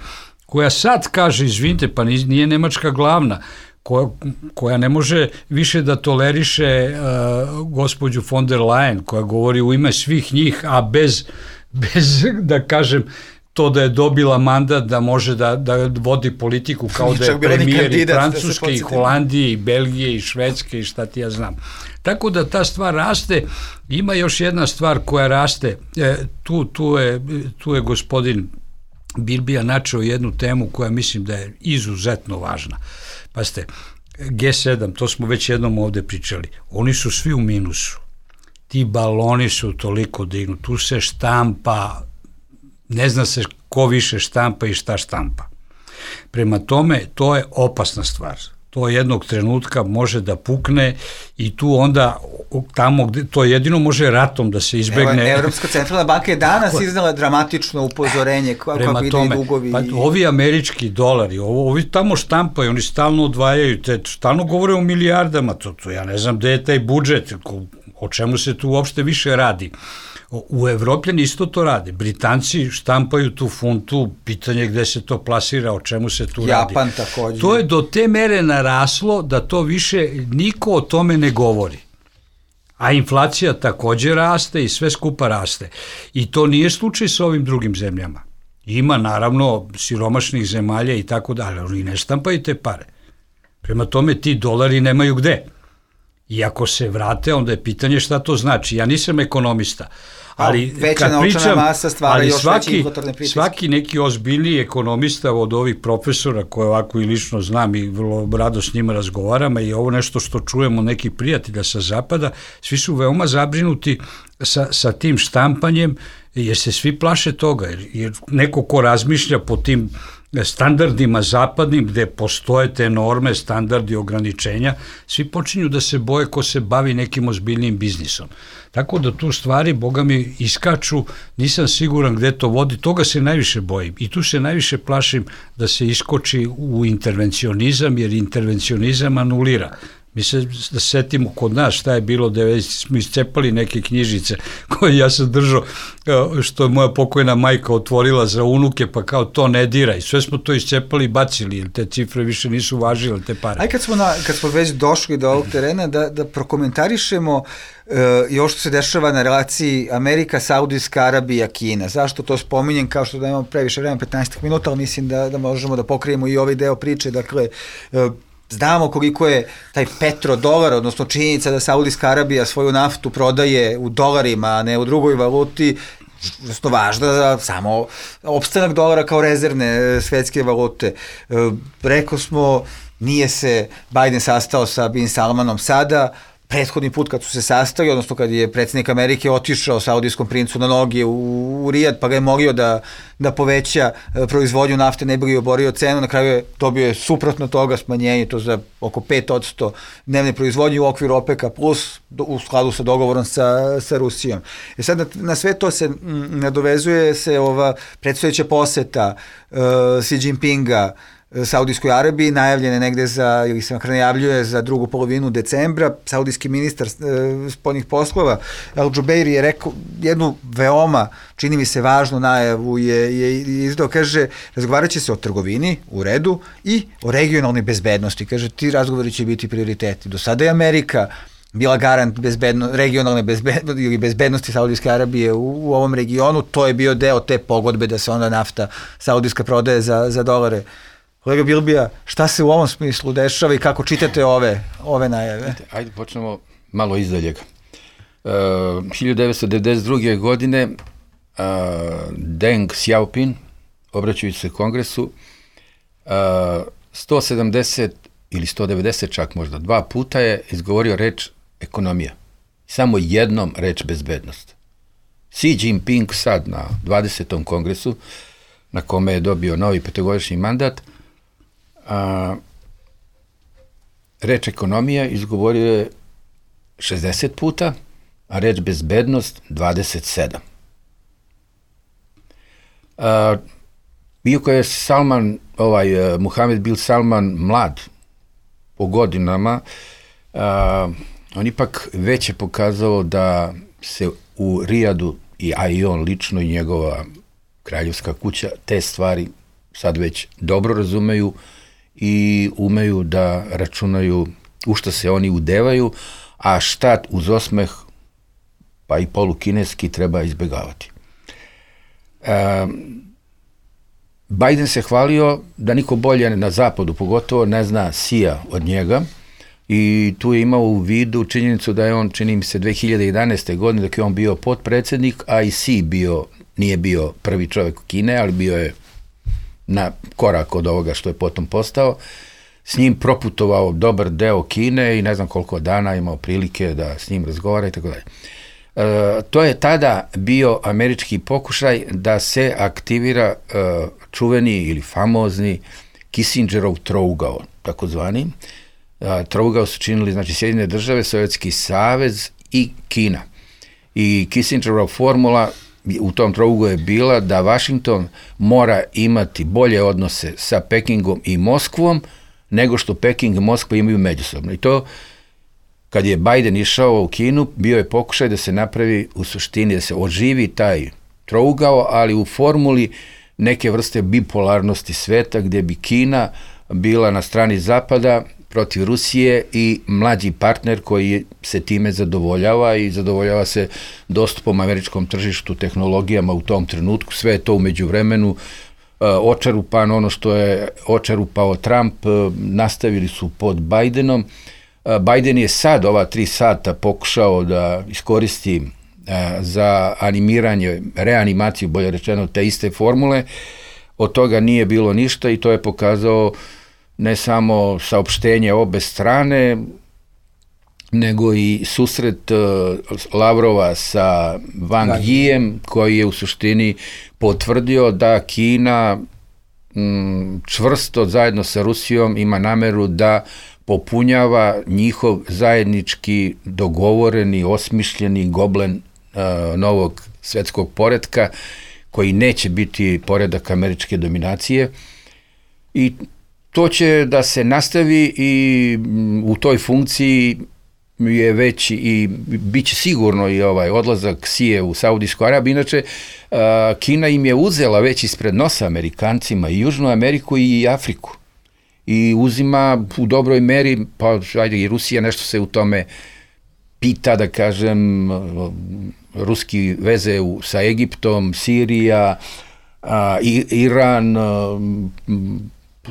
koja sad kaže, izvinite, pa nije Nemačka glavna, koja, koja ne može više da toleriše uh, gospođu von der Leyen, koja govori u ime svih njih, a bez, bez da kažem, to da je dobila mandat da može da, da vodi politiku kao da je premijer i Francuske, da i Holandije, i Belgije, i Švedske, i šta ti ja znam. Tako da ta stvar raste. Ima još jedna stvar koja raste. E, tu, tu, je, tu je gospodin Bilbija načeo jednu temu koja mislim da je izuzetno važna. Pazite, G sedam, to smo već jednom ovde pričali, oni su svi u minusu. Ti baloni su toliko dignu, tu se štampa, ne zna se ko više štampa i šta štampa. Prema tome, to je opasna stvar. to jednog trenutka može da pukne i tu onda tamo gde to jedino može ratom da se izbegne. Evo, Evropska centralna banka je danas iznala dramatično upozorenje kako ide i dugovi. Pa, ovi američki dolari, ovo, ovi tamo štampaju, oni stalno odvajaju, te, stalno govore o milijardama, to, to ja ne znam gde je taj budžet, o čemu se tu uopšte više radi. U Evropljani isto to rade. Britanci štampaju tu funtu, pitanje gde se to plasira, o čemu se tu radi. Japan takođe. To je do te mere naraslo da to više niko o tome ne govori. A inflacija takođe raste i sve skupa raste. I to nije slučaj sa ovim drugim zemljama. Ima naravno siromašnih zemalja i tako dalje, ali oni ne štampaju te pare. Prema tome ti dolari nemaju gde. I ako se vrate, onda je pitanje šta to znači. Ja nisam ekonomista, ali veća kad pričam, masa stvara ali još svaki, inflatorne pritiske. svaki neki ozbiljniji ekonomista od ovih profesora koje ovako i lično znam i vrlo rado s njima razgovaram, i ovo nešto što čujemo neki prijatelja sa zapada, svi su veoma zabrinuti sa, sa tim štampanjem, jer se svi plaše toga, jer, jer neko ko razmišlja po tim standardima zapadnim, gde postoje te norme, standardi, ograničenja, svi počinju da se boje ko se bavi nekim ozbiljnim biznisom. Tako da tu stvari, boga mi, iskaču, nisam siguran gde to vodi, toga se najviše bojim. I tu se najviše plašim da se iskoči u intervencionizam, jer intervencionizam anulira. Mi se da setimo kod nas šta je bilo, da smo iscepali neke knjižice koje ja sam držao, što je moja pokojna majka otvorila za unuke, pa kao to ne diraj. Sve smo to iscepali i bacili, jer te cifre više nisu važile, te pare. Aj kad smo, na, kad smo već došli do ovog terena, da, da prokomentarišemo uh, i ovo što se dešava na relaciji Amerika, Saudijska Arabija, Kina. Zašto to spominjem, kao što da imamo previše vremena, petnaest minuta, ali mislim da, da možemo da pokrijemo i ovaj deo priče, dakle, uh, znamo koliko je taj petrodolar, odnosno činjenica da Saudijska Arabija svoju naftu prodaje u dolarima, a ne u drugoj valuti, što važno za samo opstanak dolara kao rezervne svetske valute. Rekao smo, nije se Biden sastao sa Bin Salmanom sada, prethodni put kad su se sastali, odnosno kad je predsjednik Amerike otišao saudijskom princu na noge u, u Rijad, pa ga je molio da, da poveća proizvodnju nafte, ne bi li oborio cenu, na kraju je dobio je suprotno toga smanjenje, to za oko pet posto dnevne proizvodnje u okviru OPEC-a plus u skladu sa dogovorom sa, sa Rusijom. I sad na, na sve to se m, nadovezuje se ova predstojeća poseta uh, Xi Jinpinga Saudijskoj Arabiji, najavljene negde za, ili se makar najavljuje za drugu polovinu decembra. Saudijski ministar e, spoljnih poslova Al Jubeiri je rekao jednu veoma, čini mi se, važnu najavu je, je izdao, kaže, razgovarat će se o trgovini, u redu, i o regionalnoj bezbednosti. Kaže, ti razgovori će biti prioriteti. Do sada je Amerika bila garant bezbedno, regionalne bezbednosti ili bezbednosti Saudijske Arabije u, u ovom regionu, to je bio deo te pogodbe da se onda nafta saudijska prodaje za, za dolare. Kolega Bilbija, šta se u ovom smislu dešava i kako čitate ove, ove najave? Ajde, počnemo malo izdaljega. Uh, hiljadu devetsto devedeset druge. godine uh, Deng Xiaoping, obraćajući se Kongresu, uh, sto sedamdeset ili sto devedeset čak možda dva puta je izgovorio reč ekonomija. Samo jednom reč bezbednost. Xi Jinping sad na dvadesetom kongresu, na kome je dobio novi petogodišnji mandat, a, reč ekonomija izgovorio je šezdeset puta, a reč bezbednost dvadeset sedam. A, iako je Salman, ovaj, Muhamed bin Salman mlad po godinama, a, on ipak već je pokazao da se u Rijadu, i, a i on lično i njegova kraljevska kuća, te stvari sad već dobro razumeju i umeju da računaju u šta se oni udevaju, a šta uz osmeh, pa i polukineski, treba izbegavati. E, Biden se hvalio da niko bolje na zapadu, pogotovo, ne zna Xija od njega, i tu je imao u vidu činjenicu da je on, čini mi se, dve hiljade jedanaeste. godine, dok je on bio potpredsednik, a i Xi bio, nije bio prvi čovjek u Kine, ali bio je na korak od ovoga što je potom postao, s njim proputovao dobar deo Kine i ne znam koliko dana imao prilike da s njim razgovara i tako dalje. E, to je tada bio američki pokušaj da se aktivira e, čuveni ili famozni Kissingerov trougao, takozvani, trougao su činili, znači, Sjedinjene države, Sovjetski savez i Kina. I Kissingerova formula u tom trougu je bila da Washington mora imati bolje odnose sa Pekingom i Moskvom nego što Peking i Moskva imaju međusobno. I to, kad je Biden išao u Kinu, bio je pokušaj da se napravi u suštini, da se oživi taj trougao, ali u formuli neke vrste bipolarnosti sveta, gdje bi Kina bila na strani Zapada protiv Rusije i mlađi partner koji se time zadovoljava i zadovoljava se dostupom američkom tržištu, tehnologijama u tom trenutku. Sve je to u međuvremenu uh, očerupano, ono što je očerupao Trump, uh, nastavili su pod Bidenom. Uh, Biden je sad ova tri sata pokušao da iskoristi uh, za animiranje, reanimaciju, bolje rečeno, te iste formule. Od toga nije bilo ništa i to je pokazao ne samo saopštenje obe strane, nego i susret uh, Lavrova sa Wang Yijem, koji je u suštini potvrdio da Kina m, čvrsto zajedno sa Rusijom ima nameru da popunjava njihov zajednički dogovoreni, osmišljeni goblen uh, novog svetskog poretka, koji neće biti poredak američke dominacije. I to će da se nastavi i u toj funkciji je već i bit će sigurno i ovaj odlazak Sije u Saudijsku Arabiju. Inače, Kina im je uzela već ispred nosa Amerikancima i Južnu Ameriku i Afriku. I uzima u dobroj meri, pa ajde, i Rusija nešto se u tome pita, da kažem, ruski veze u, sa Egiptom, Sirija, a, i, Iran, a,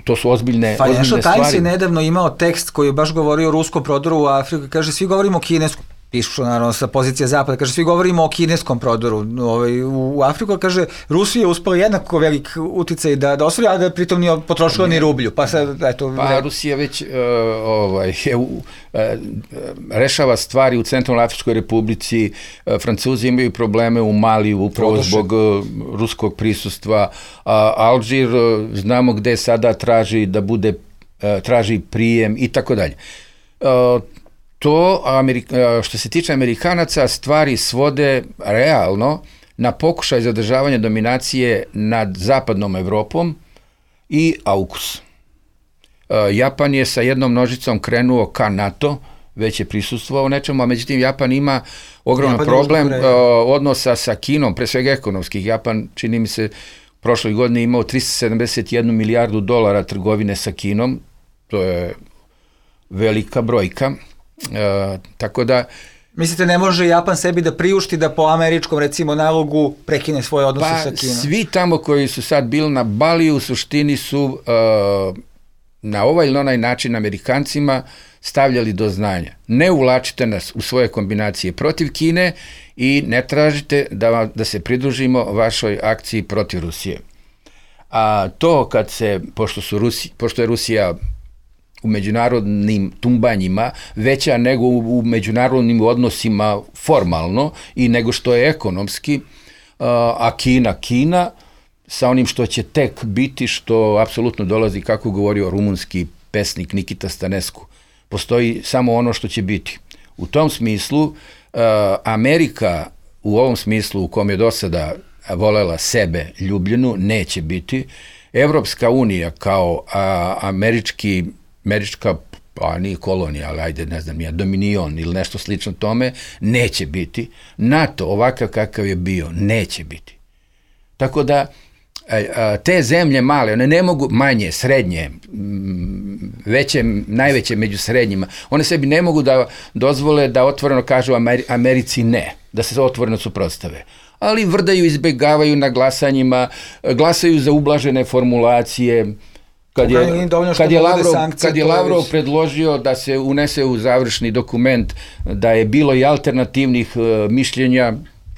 to su ozbiljne, ozbiljne stvari. Financial Times je nedavno imao tekst koji je baš govorio o ruskom prodoru u Afriku. Kaže, svi govorimo o kineskom, pišu naravno sa pozicije Zapada, kaže, svi govorimo o kineskom prodoru ovaj, u, u Afriku, kaže, Rusija je uspela jednako velik uticaj da, da osvoji, a da pritom nije potrošila ni rublju. Pa, sad, eto, pa Rusija već uh, ovaj, je, uh, rešava stvari u Centralnoj Afričkoj Republici, uh, Francuzi imaju probleme u Maliju upravo Podošen. zbog uh, ruskog prisustva, uh, Alžir uh, znamo gde sada traži da bude, uh, traži prijem i tako dalje. Uh, To, Amerika, što se tiče Amerikanaca, stvari svode realno na pokušaj zadržavanja dominacije nad zapadnom Evropom i AUKUS. Japan je sa jednom nožicom krenuo ka NATO, već je prisustvovao nečemu, a međutim Japan ima ogroman Japan problem uh, odnosa sa Kinom, pre svega ekonomskih. Japan, čini mi se, prošloj godini imao tristo sedamdeset jednu milijardu dolara trgovine sa Kinom, to je velika brojka. Uh, tako da mislite, ne može Japan sebi da priušti da po američkom, recimo, nalogu prekine svoje odnose pa, sa Kinom? Svi tamo koji su sad bili na Baliju u suštini su uh, na ovaj ili onaj način Amerikancima stavljali do znanja. Ne uvlačite nas u svoje kombinacije protiv Kine i ne tražite da, da se pridružimo vašoj akciji protiv Rusije. A to kad se, pošto, su Rusi, pošto je Rusija u međunarodnim tumbanjima veća nego u, u međunarodnim odnosima formalno i nego što je ekonomski, a Kina, Kina, sa onim što će tek biti, što apsolutno dolazi, kako govorio rumunski pesnik Nikita Stanescu, postoji samo ono što će biti. U tom smislu, Amerika u ovom smislu u kom je do sada volela sebe ljubljenu, neće biti. Evropska unija kao a, američki američka, pa nije kolonija, ali ajde, ne znam, ja, dominion ili nešto slično tome, neće biti. NATO, ovakav kakav je bio, neće biti. Tako da, te zemlje male, one ne mogu, manje, srednje, veće, najveće među srednjima, one sebi ne mogu da dozvole da otvoreno kažu Ameri- Americi ne, da se otvoreno suprotstave. Ali vrdaju, izbegavaju na glasanjima, glasaju za ublažene formulacije. Kad je, kad je, Lavrov, kad je Lavrov predložio da se unese u završni dokument da je bilo i alternativnih uh, mišljenja,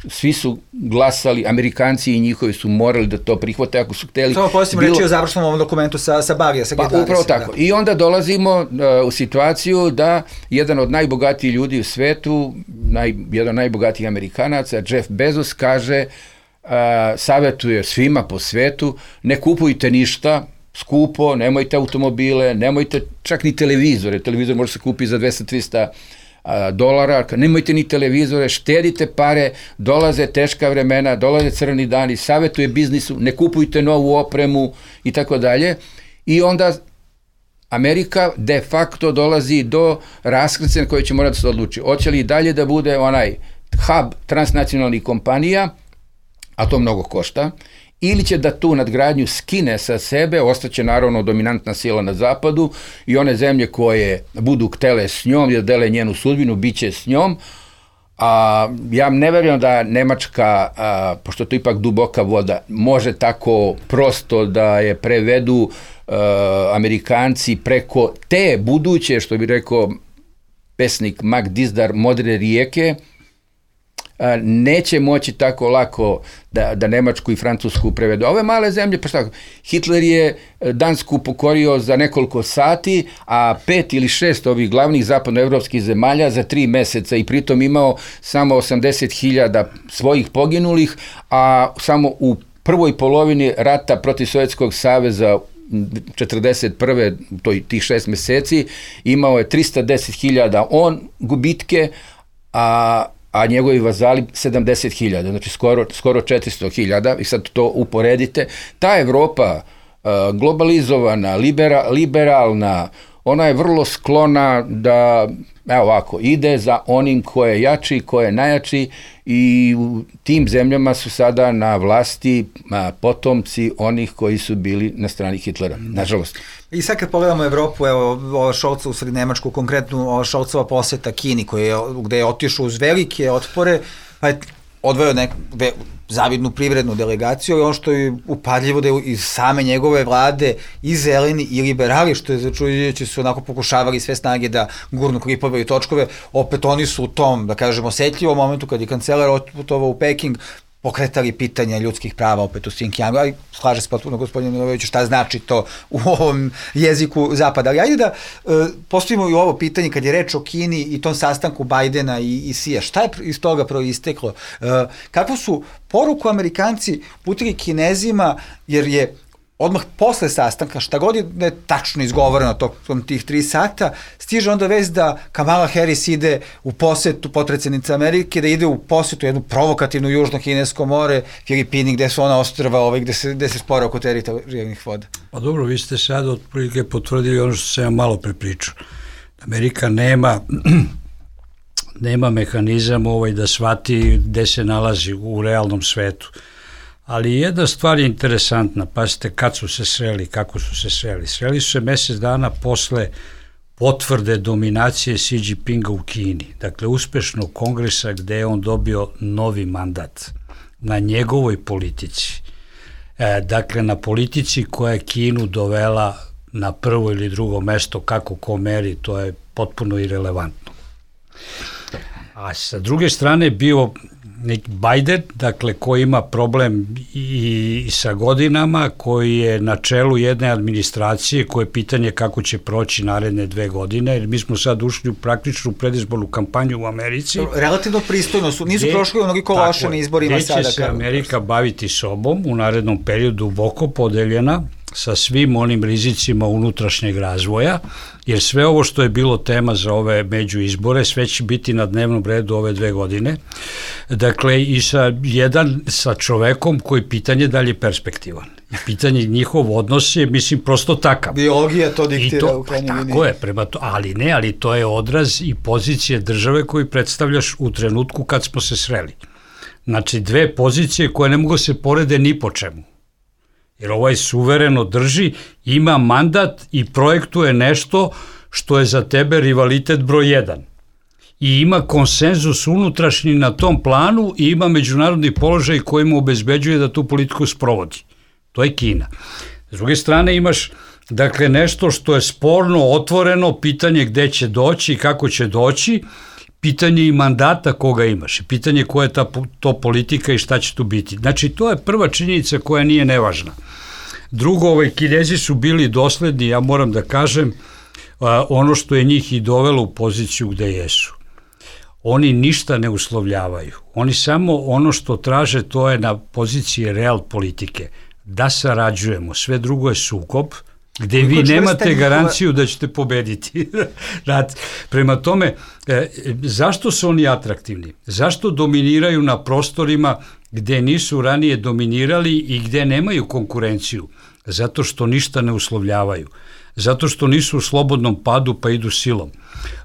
svi su glasali, Amerikanci i njihovi su morali da to prihvate ako su hteli. Samo posljedno bilo... reći o završnom ovom dokumentu sa, sa Balija, sa G dvadeset. Pa, upravo tako. Da. I onda dolazimo uh, u situaciju da jedan od najbogatijih ljudi u svetu, naj, jedan od najbogatijih Amerikanaca, Jeff Bezos, kaže, uh, savjetuje svima po svetu, ne kupujte ništa, skupo, nemojte automobile, nemojte čak ni televizore, televizor može se kupiti za dvesta do trista dolara, nemojte ni televizore, štedite pare, dolaze teška vremena, dolaze crni dani, savjetuje biznisu, ne kupujte novu opremu i tako dalje. I onda Amerika de facto dolazi do raskrstice na koje će morati se odluči. Hoće li dalje da bude onaj hub transnacionalnih kompanija, a to mnogo košta, ili će da tu nadgradnju skine sa sebe, ostaće naravno dominantna sila na zapadu i one zemlje koje budu htele s njom i da dele njenu sudbinu, bit će s njom. A, ja ne verujem da Nemačka, a, pošto to ipak duboka voda, može tako prosto da je prevedu a, Amerikanci preko te buduće, što bi rekao pesnik Mac Dizdar, modre rijeke, neće moći tako lako da, da Nemačku i Francusku prevedu. Ove male zemlje, pa šta, Hitler je Dansku pokorio za nekoliko sati, a pet ili šest ovih glavnih zapadnoevropskih zemalja za tri meseca i pritom imao samo osamdeset hiljada svojih poginulih, a samo u prvoj polovini rata protiv Sovjetskog saveza četrdeset prve, to je tih šest meseci, imao je trista deset hiljada on gubitke, a a njegovi vazali sedamdeset hiljada, znači skoro, skoro četiristo hiljada, i sad to uporedite. Ta Evropa, globalizovana, libera, liberalna, ona je vrlo sklona da, evo ovako, ide za onim ko je jači, ko je najjači, i u tim zemljama su sada na vlasti potomci onih koji su bili na strani Hitlera, nažalost. I sad kad pogledamo Evropu, evo, ova Šolca u sred Nemačku, konkretno ova Šolcova poseta Kini, koji je, gde je otišao uz velike otpore, pa je odvojao neku ve, zavidnu privrednu delegaciju, i ono što je upadljivo da je iz same njegove vlade i zeleni i liberali, što je začuđujuće, su onako pokušavali sve snage da gurnu klipove i točkove, opet oni su u tom, da kažemo, osetljivom momentu kad je kancelar otputovao u Peking, pokretali pitanja ljudskih prava opet u Xinjiangu, ali slaže se potpuno gospodin Milojević šta znači to u ovom jeziku zapada. Ali ajde da e, postavimo i ovo pitanje kad je reč o Kini i tom sastanku Bajdena i, i Sija. Šta je iz toga proisteklo? E, kakvu su poruku Amerikanci putili Kinezima, jer je odmah posle sastanka, šta god je ne tačno izgovoreno tokom tih tri sata, stiže onda vest da Kamala Harris ide u posetu, potpredsednica Amerike, da ide u posetu jednu provokativnu južno-kinesko more, Filipini, gde su ona ostrva, ovaj, gde se, gde se spore oko teritorijalnih voda. Pa dobro, vi ste sad otprilike potvrdili ono što sam ja malo prepričao. Amerika nema nema mehanizam ovaj da shvati gde se nalazi u realnom svetu. Ali jedna stvar je interesantna, pazite kad su se sreli, kako su se sreli. Sreli su se mesec dana posle potvrde dominacije Xi Jinpinga u Kini, dakle uspešnog kongresa gde je on dobio novi mandat na njegovoj politici. E, dakle, na politici koja je Kinu dovela na prvo ili drugo mesto, kako ko meri, to je potpuno irelevantno. A sa druge strane bio neki Biden, dakle, koji ima problem i, i sa godinama, koji je na čelu jedne administracije, koje je pitanje kako će proći naredne dve godine, jer mi smo sad ušli u praktičnu predizbornu kampanju u Americi. Relativno pristojno su, nisu gde, prošli onoliko loše na izborima sada. Gde će se Amerika baviti sobom u narednom periodu, duboko podeljena, sa svim onim rizicima unutrašnjeg razvoja, jer sve ovo što je bilo tema za ove međuizbore, sve će biti na dnevnom redu ove dve godine. Dakle, i sa jedan sa čovekom koji pitanje da li je perspektivan. I pitanje njihov odnos je, mislim, prosto takav. Biologija to diktira to, u krajnjoj liniji. Tako je, prema to, ali ne, ali to je odraz i pozicije države koju predstavljaš u trenutku kad smo se sreli. Znači, dve pozicije koje ne mogu se porede ni po čemu. Jer ovaj suvereno drži, ima mandat i projektuje nešto što je za tebe rivalitet broj jedan. I ima konsenzus unutrašnji na tom planu i ima međunarodni položaj koji mu obezbeđuje da tu politiku sprovodi. To je Kina. S druge strane imaš, dakle, nešto što je sporno, otvoreno, pitanje gde će doći i kako će doći, pitanje i mandata koga imaš, pitanje koja je ta, to politika i šta će tu biti. Znači, to je prva činjenica koja nije nevažna. Drugo, ovaj, Kinezi su bili dosledni, ja moram da kažem, a, ono što je njih i dovelo u poziciju gde jesu. Oni ništa ne uslovljavaju. Oni samo ono što traže, to je na poziciji real politike. da sarađujemo, sve drugo je sukob, gde vi nemate garanciju da ćete pobediti. Prema tome, e, zašto su oni atraktivni? Zašto dominiraju na prostorima gde nisu ranije dominirali i gde nemaju konkurenciju? Zato što ništa ne uslovljavaju. Zato što nisu u slobodnom padu pa idu silom.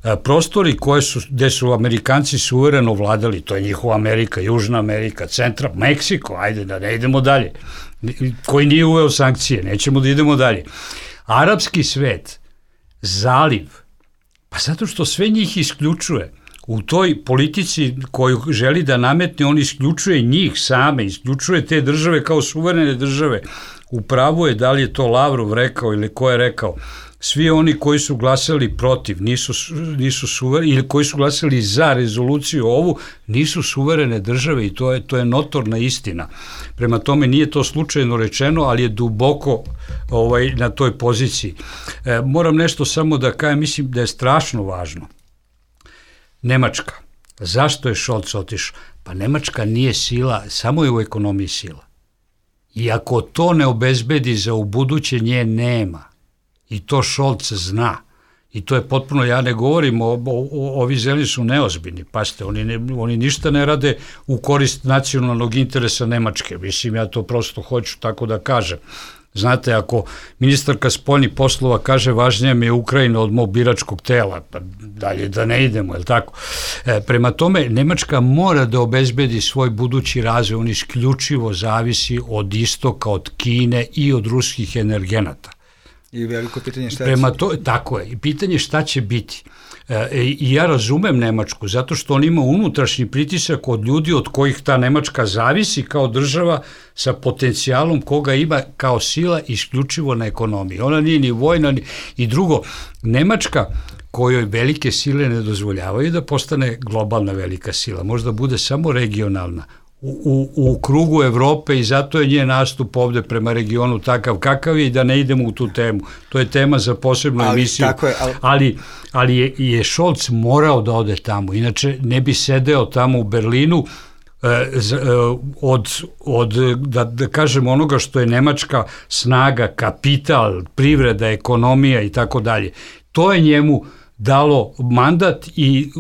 E, prostori koje su, gde su Amerikanci suvereno vladali, to je njihova Amerika, Južna Amerika, Centra, Meksiko, ajde da ne idemo dalje, koji nije uveo sankcije, nećemo da idemo dalje. Arapski svet, zaliv, pa zato što sve njih isključuje. U toj politici koju želi da nametne, on isključuje njih same, isključuje te države kao suverene države. U pravu je, da li je to Lavrov rekao ili ko je rekao, svi oni koji su glasali protiv, nisu, nisu suvereni, ili koji su glasali za rezoluciju ovu, nisu suverene države i to je, to je notorna istina. Prema tome nije to slučajno rečeno, ali je duboko ovaj, na toj poziciji. E, moram nešto samo da kažem, mislim da je strašno važno. Nemačka. Zašto je Scholz otišao? Pa Nemačka nije sila, samo je u ekonomiji sila. I ako to ne obezbedi za ubuduće, nje nema. I to Scholz zna. I to je potpuno, ja ne govorim, o, o, o, ovi zeleni su neozbiljni. Pazite, oni, ne, oni ništa ne rade u korist nacionalnog interesa Nemačke. Mislim, ja to prosto hoću tako da kažem. Znate, ako ministarka spoljnih poslova kaže važnija mi je Ukrajina od mog biračkog tela, pa dalje da ne idemo, je li tako? E, prema tome, Nemačka mora da obezbedi svoj budući razvoj, on isključivo zavisi od istoka, od Kine i od ruskih energenata. I veliko pitanje šta Prema to, tako je, i pitanje šta će biti. E, I ja razumem Nemačku, zato što on ima unutrašnji pritisak od ljudi od kojih ta Nemačka zavisi kao država sa potencijalom koga ima kao sila isključivo na ekonomiji. Ona nije ni vojna, ni... I drugo, Nemačka kojoj velike sile ne dozvoljavaju da postane globalna velika sila, možda bude samo regionalna, U, u, u krugu Evrope i zato je njen nastup ovde prema regionu takav kakav je i da ne idemo u tu temu. To je tema za posebnu ali, emisiju. Je, ali ali, ali je, je Scholz morao da ode tamo, inače ne bi sedeo tamo u Berlinu eh, z, eh, od, od da, da kažem, onoga što je nemačka snaga, kapital, privreda, ekonomija i tako dalje. To je njemu dalo mandat i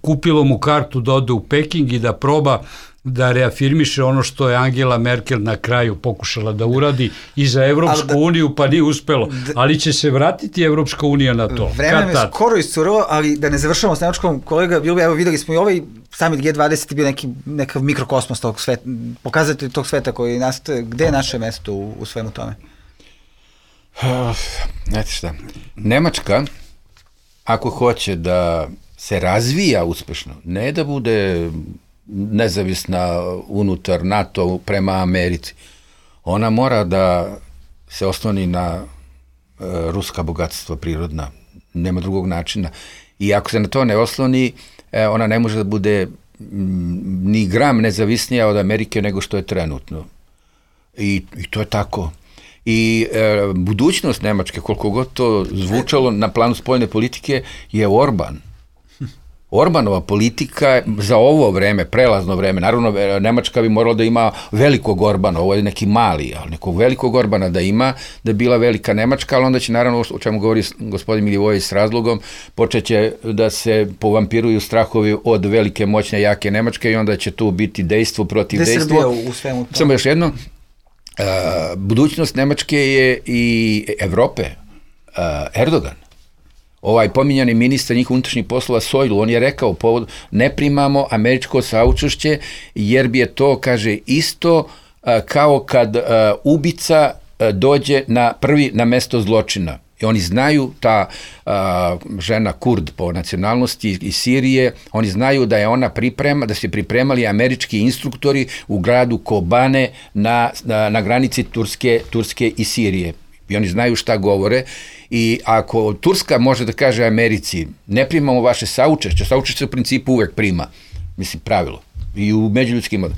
kupilo mu kartu da ode u Peking i da proba da reafirmiše ono što je Angela Merkel na kraju pokušala da uradi i za Evropsku da, uniju, pa nije uspelo. Ali će se vratiti Evropska unija na to. Vreme je skoro iscurilo, ali da ne završamo s Nemačkom, kolega, bilo bi, evo videli smo i ovaj summit G dvadeset bio neki, nekav mikrokosmos tog sveta, pokazatelj tog sveta koji nastaje, gde je naše mesto u, u svemu tome? Znate šta, Nemačka, ako hoće da se razvija uspešno, ne da bude nezavisna unutar NATO prema Americi, ona mora da se osloni na e, ruska bogatstva prirodna, nema drugog načina. I ako se na to ne osloni, e, ona ne može da bude m, ni gram nezavisnija od Amerike nego što je trenutno. I, i to je tako. I e, budućnost Nemačke, koliko god to zvučalo na planu spoljne politike, je Orban. Orbanova politika za ovo vreme, prelazno vreme, naravno Nemačka bi morala da ima velikog Orbana, ovo je neki mali, ali nekog velikog Orbana da ima, da je bila velika Nemačka, ali onda će naravno, o čemu govori gospodin Milivojević s razlogom, počeće da se povampiruju strahovi od velike, moćne, jake Nemačke i onda će tu biti dejstvo protiv dejstva. Gde Srbija u svemu to? Samo još jedno, uh, budućnost Nemačke je i Evrope, uh, Erdogan. Ovaj pominjani ministar njih unutrašnjih poslova Sojlu, on je rekao, povod, ne primamo američko saučešće jer bi je to, kaže, isto uh, kao kad uh, ubica uh, dođe na prvi na mesto zločina. I oni znaju, ta uh, žena Kurd po nacionalnosti iz Sirije, oni znaju da je ona priprema, da se pripremali američki instruktori u gradu Kobane na, na, na granici Turske, Turske i Sirije. I oni znaju šta govore. I ako Turska može da kaže Americi, ne primamo vaše saučešće, saučešće u principu uvek prima, mislim pravilo, i u međuljudskim uh,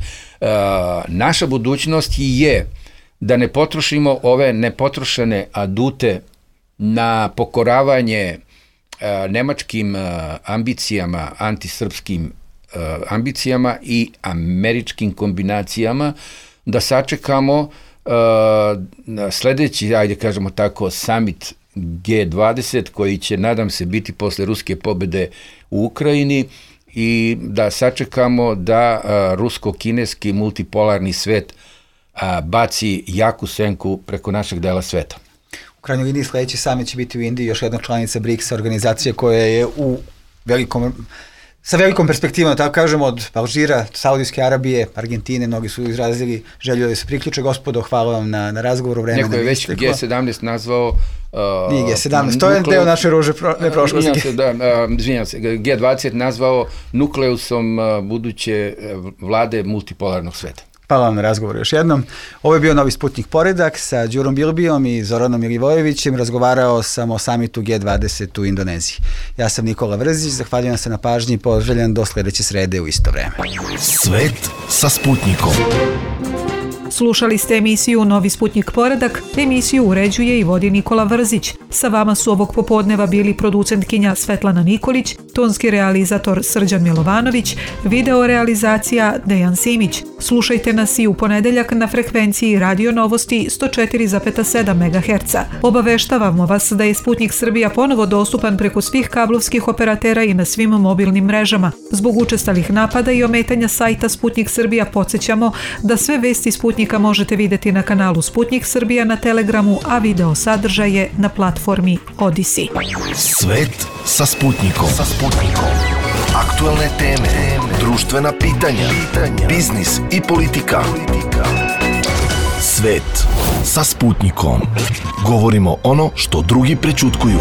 naša budućnost je da ne potrošimo ove nepotrošene adute na pokoravanje uh, nemačkim uh, ambicijama, antisrpskim uh, ambicijama i američkim kombinacijama, da sačekamo uh, sledeći, ajde kažemo tako, summit G dvadeset koji će, nadam se, biti posle ruske pobede u Ukrajini i da sačekamo da rusko-kineski multipolarni svet baci jaku senku preko našeg dela sveta. U krajnjoj liniji sledeći summit će biti u Indiji, još jedna članica briksa, organizacija koja je u velikom, sa velikom perspektivom, tako kažemo, od Alžira, Saudijske Arabije, Argentine, mnogi su izrazili želju da se priključe. Gospodo, hvala vam na, na razgovoru, vremena. Neko je već G sedamnaest nazvao... Uh, Nije G sedamnaest, to je deo naše ruže pro, ne prošlosti. Se, da, uh, izvinjam se, G dvadeset nazvao nukleusom uh, buduće vlade multipolarnog sveta. Hvala vam na razgovoru još jednom. Ovo je bio Novi Sputnik Poredak sa Đurom Bilbijom i Zoranom Milivojevićem. Razgovarao sam o samitu G dvadeset u Indoneziji. Ja sam Nikola Vrzić, zahvaljujem se na pažnji i poželjam do sledeće srede u isto vreme. Svet sa Sputnikom. Slušali ste emisiju Novi Sputnik Poredak. Emisiju uređuje i vodi Nikola Vrzić. Sa vama su ovog popodneva bili producentkinja Svetlana Nikolić, tonski realizator Srđan Milovanović, video realizacija Dejan Simić. Slušajte nas i u ponedeljak na frekvenciji Radio Novosti sto četiri zarez sedam megaherca. Obaveštavamo vas da je Sputnik Srbija ponovo dostupan preko svih kablovskih operatera i na svim mobilnim mrežama. Zbog učestalih napada i ometanja sajta Sputnik Srbija podsjećamo da sve vesti Sputnika možete videti na kanalu Sputnik Srbija na Telegramu, a video sadržaje na platformi Odisi. Svet sa Sputnikom. Sa Sputnikom. Aktuelne teme, društvena pitanja, biznis i politika. Svet sa Sputnikom. Govorimo ono što drugi prećutkuju.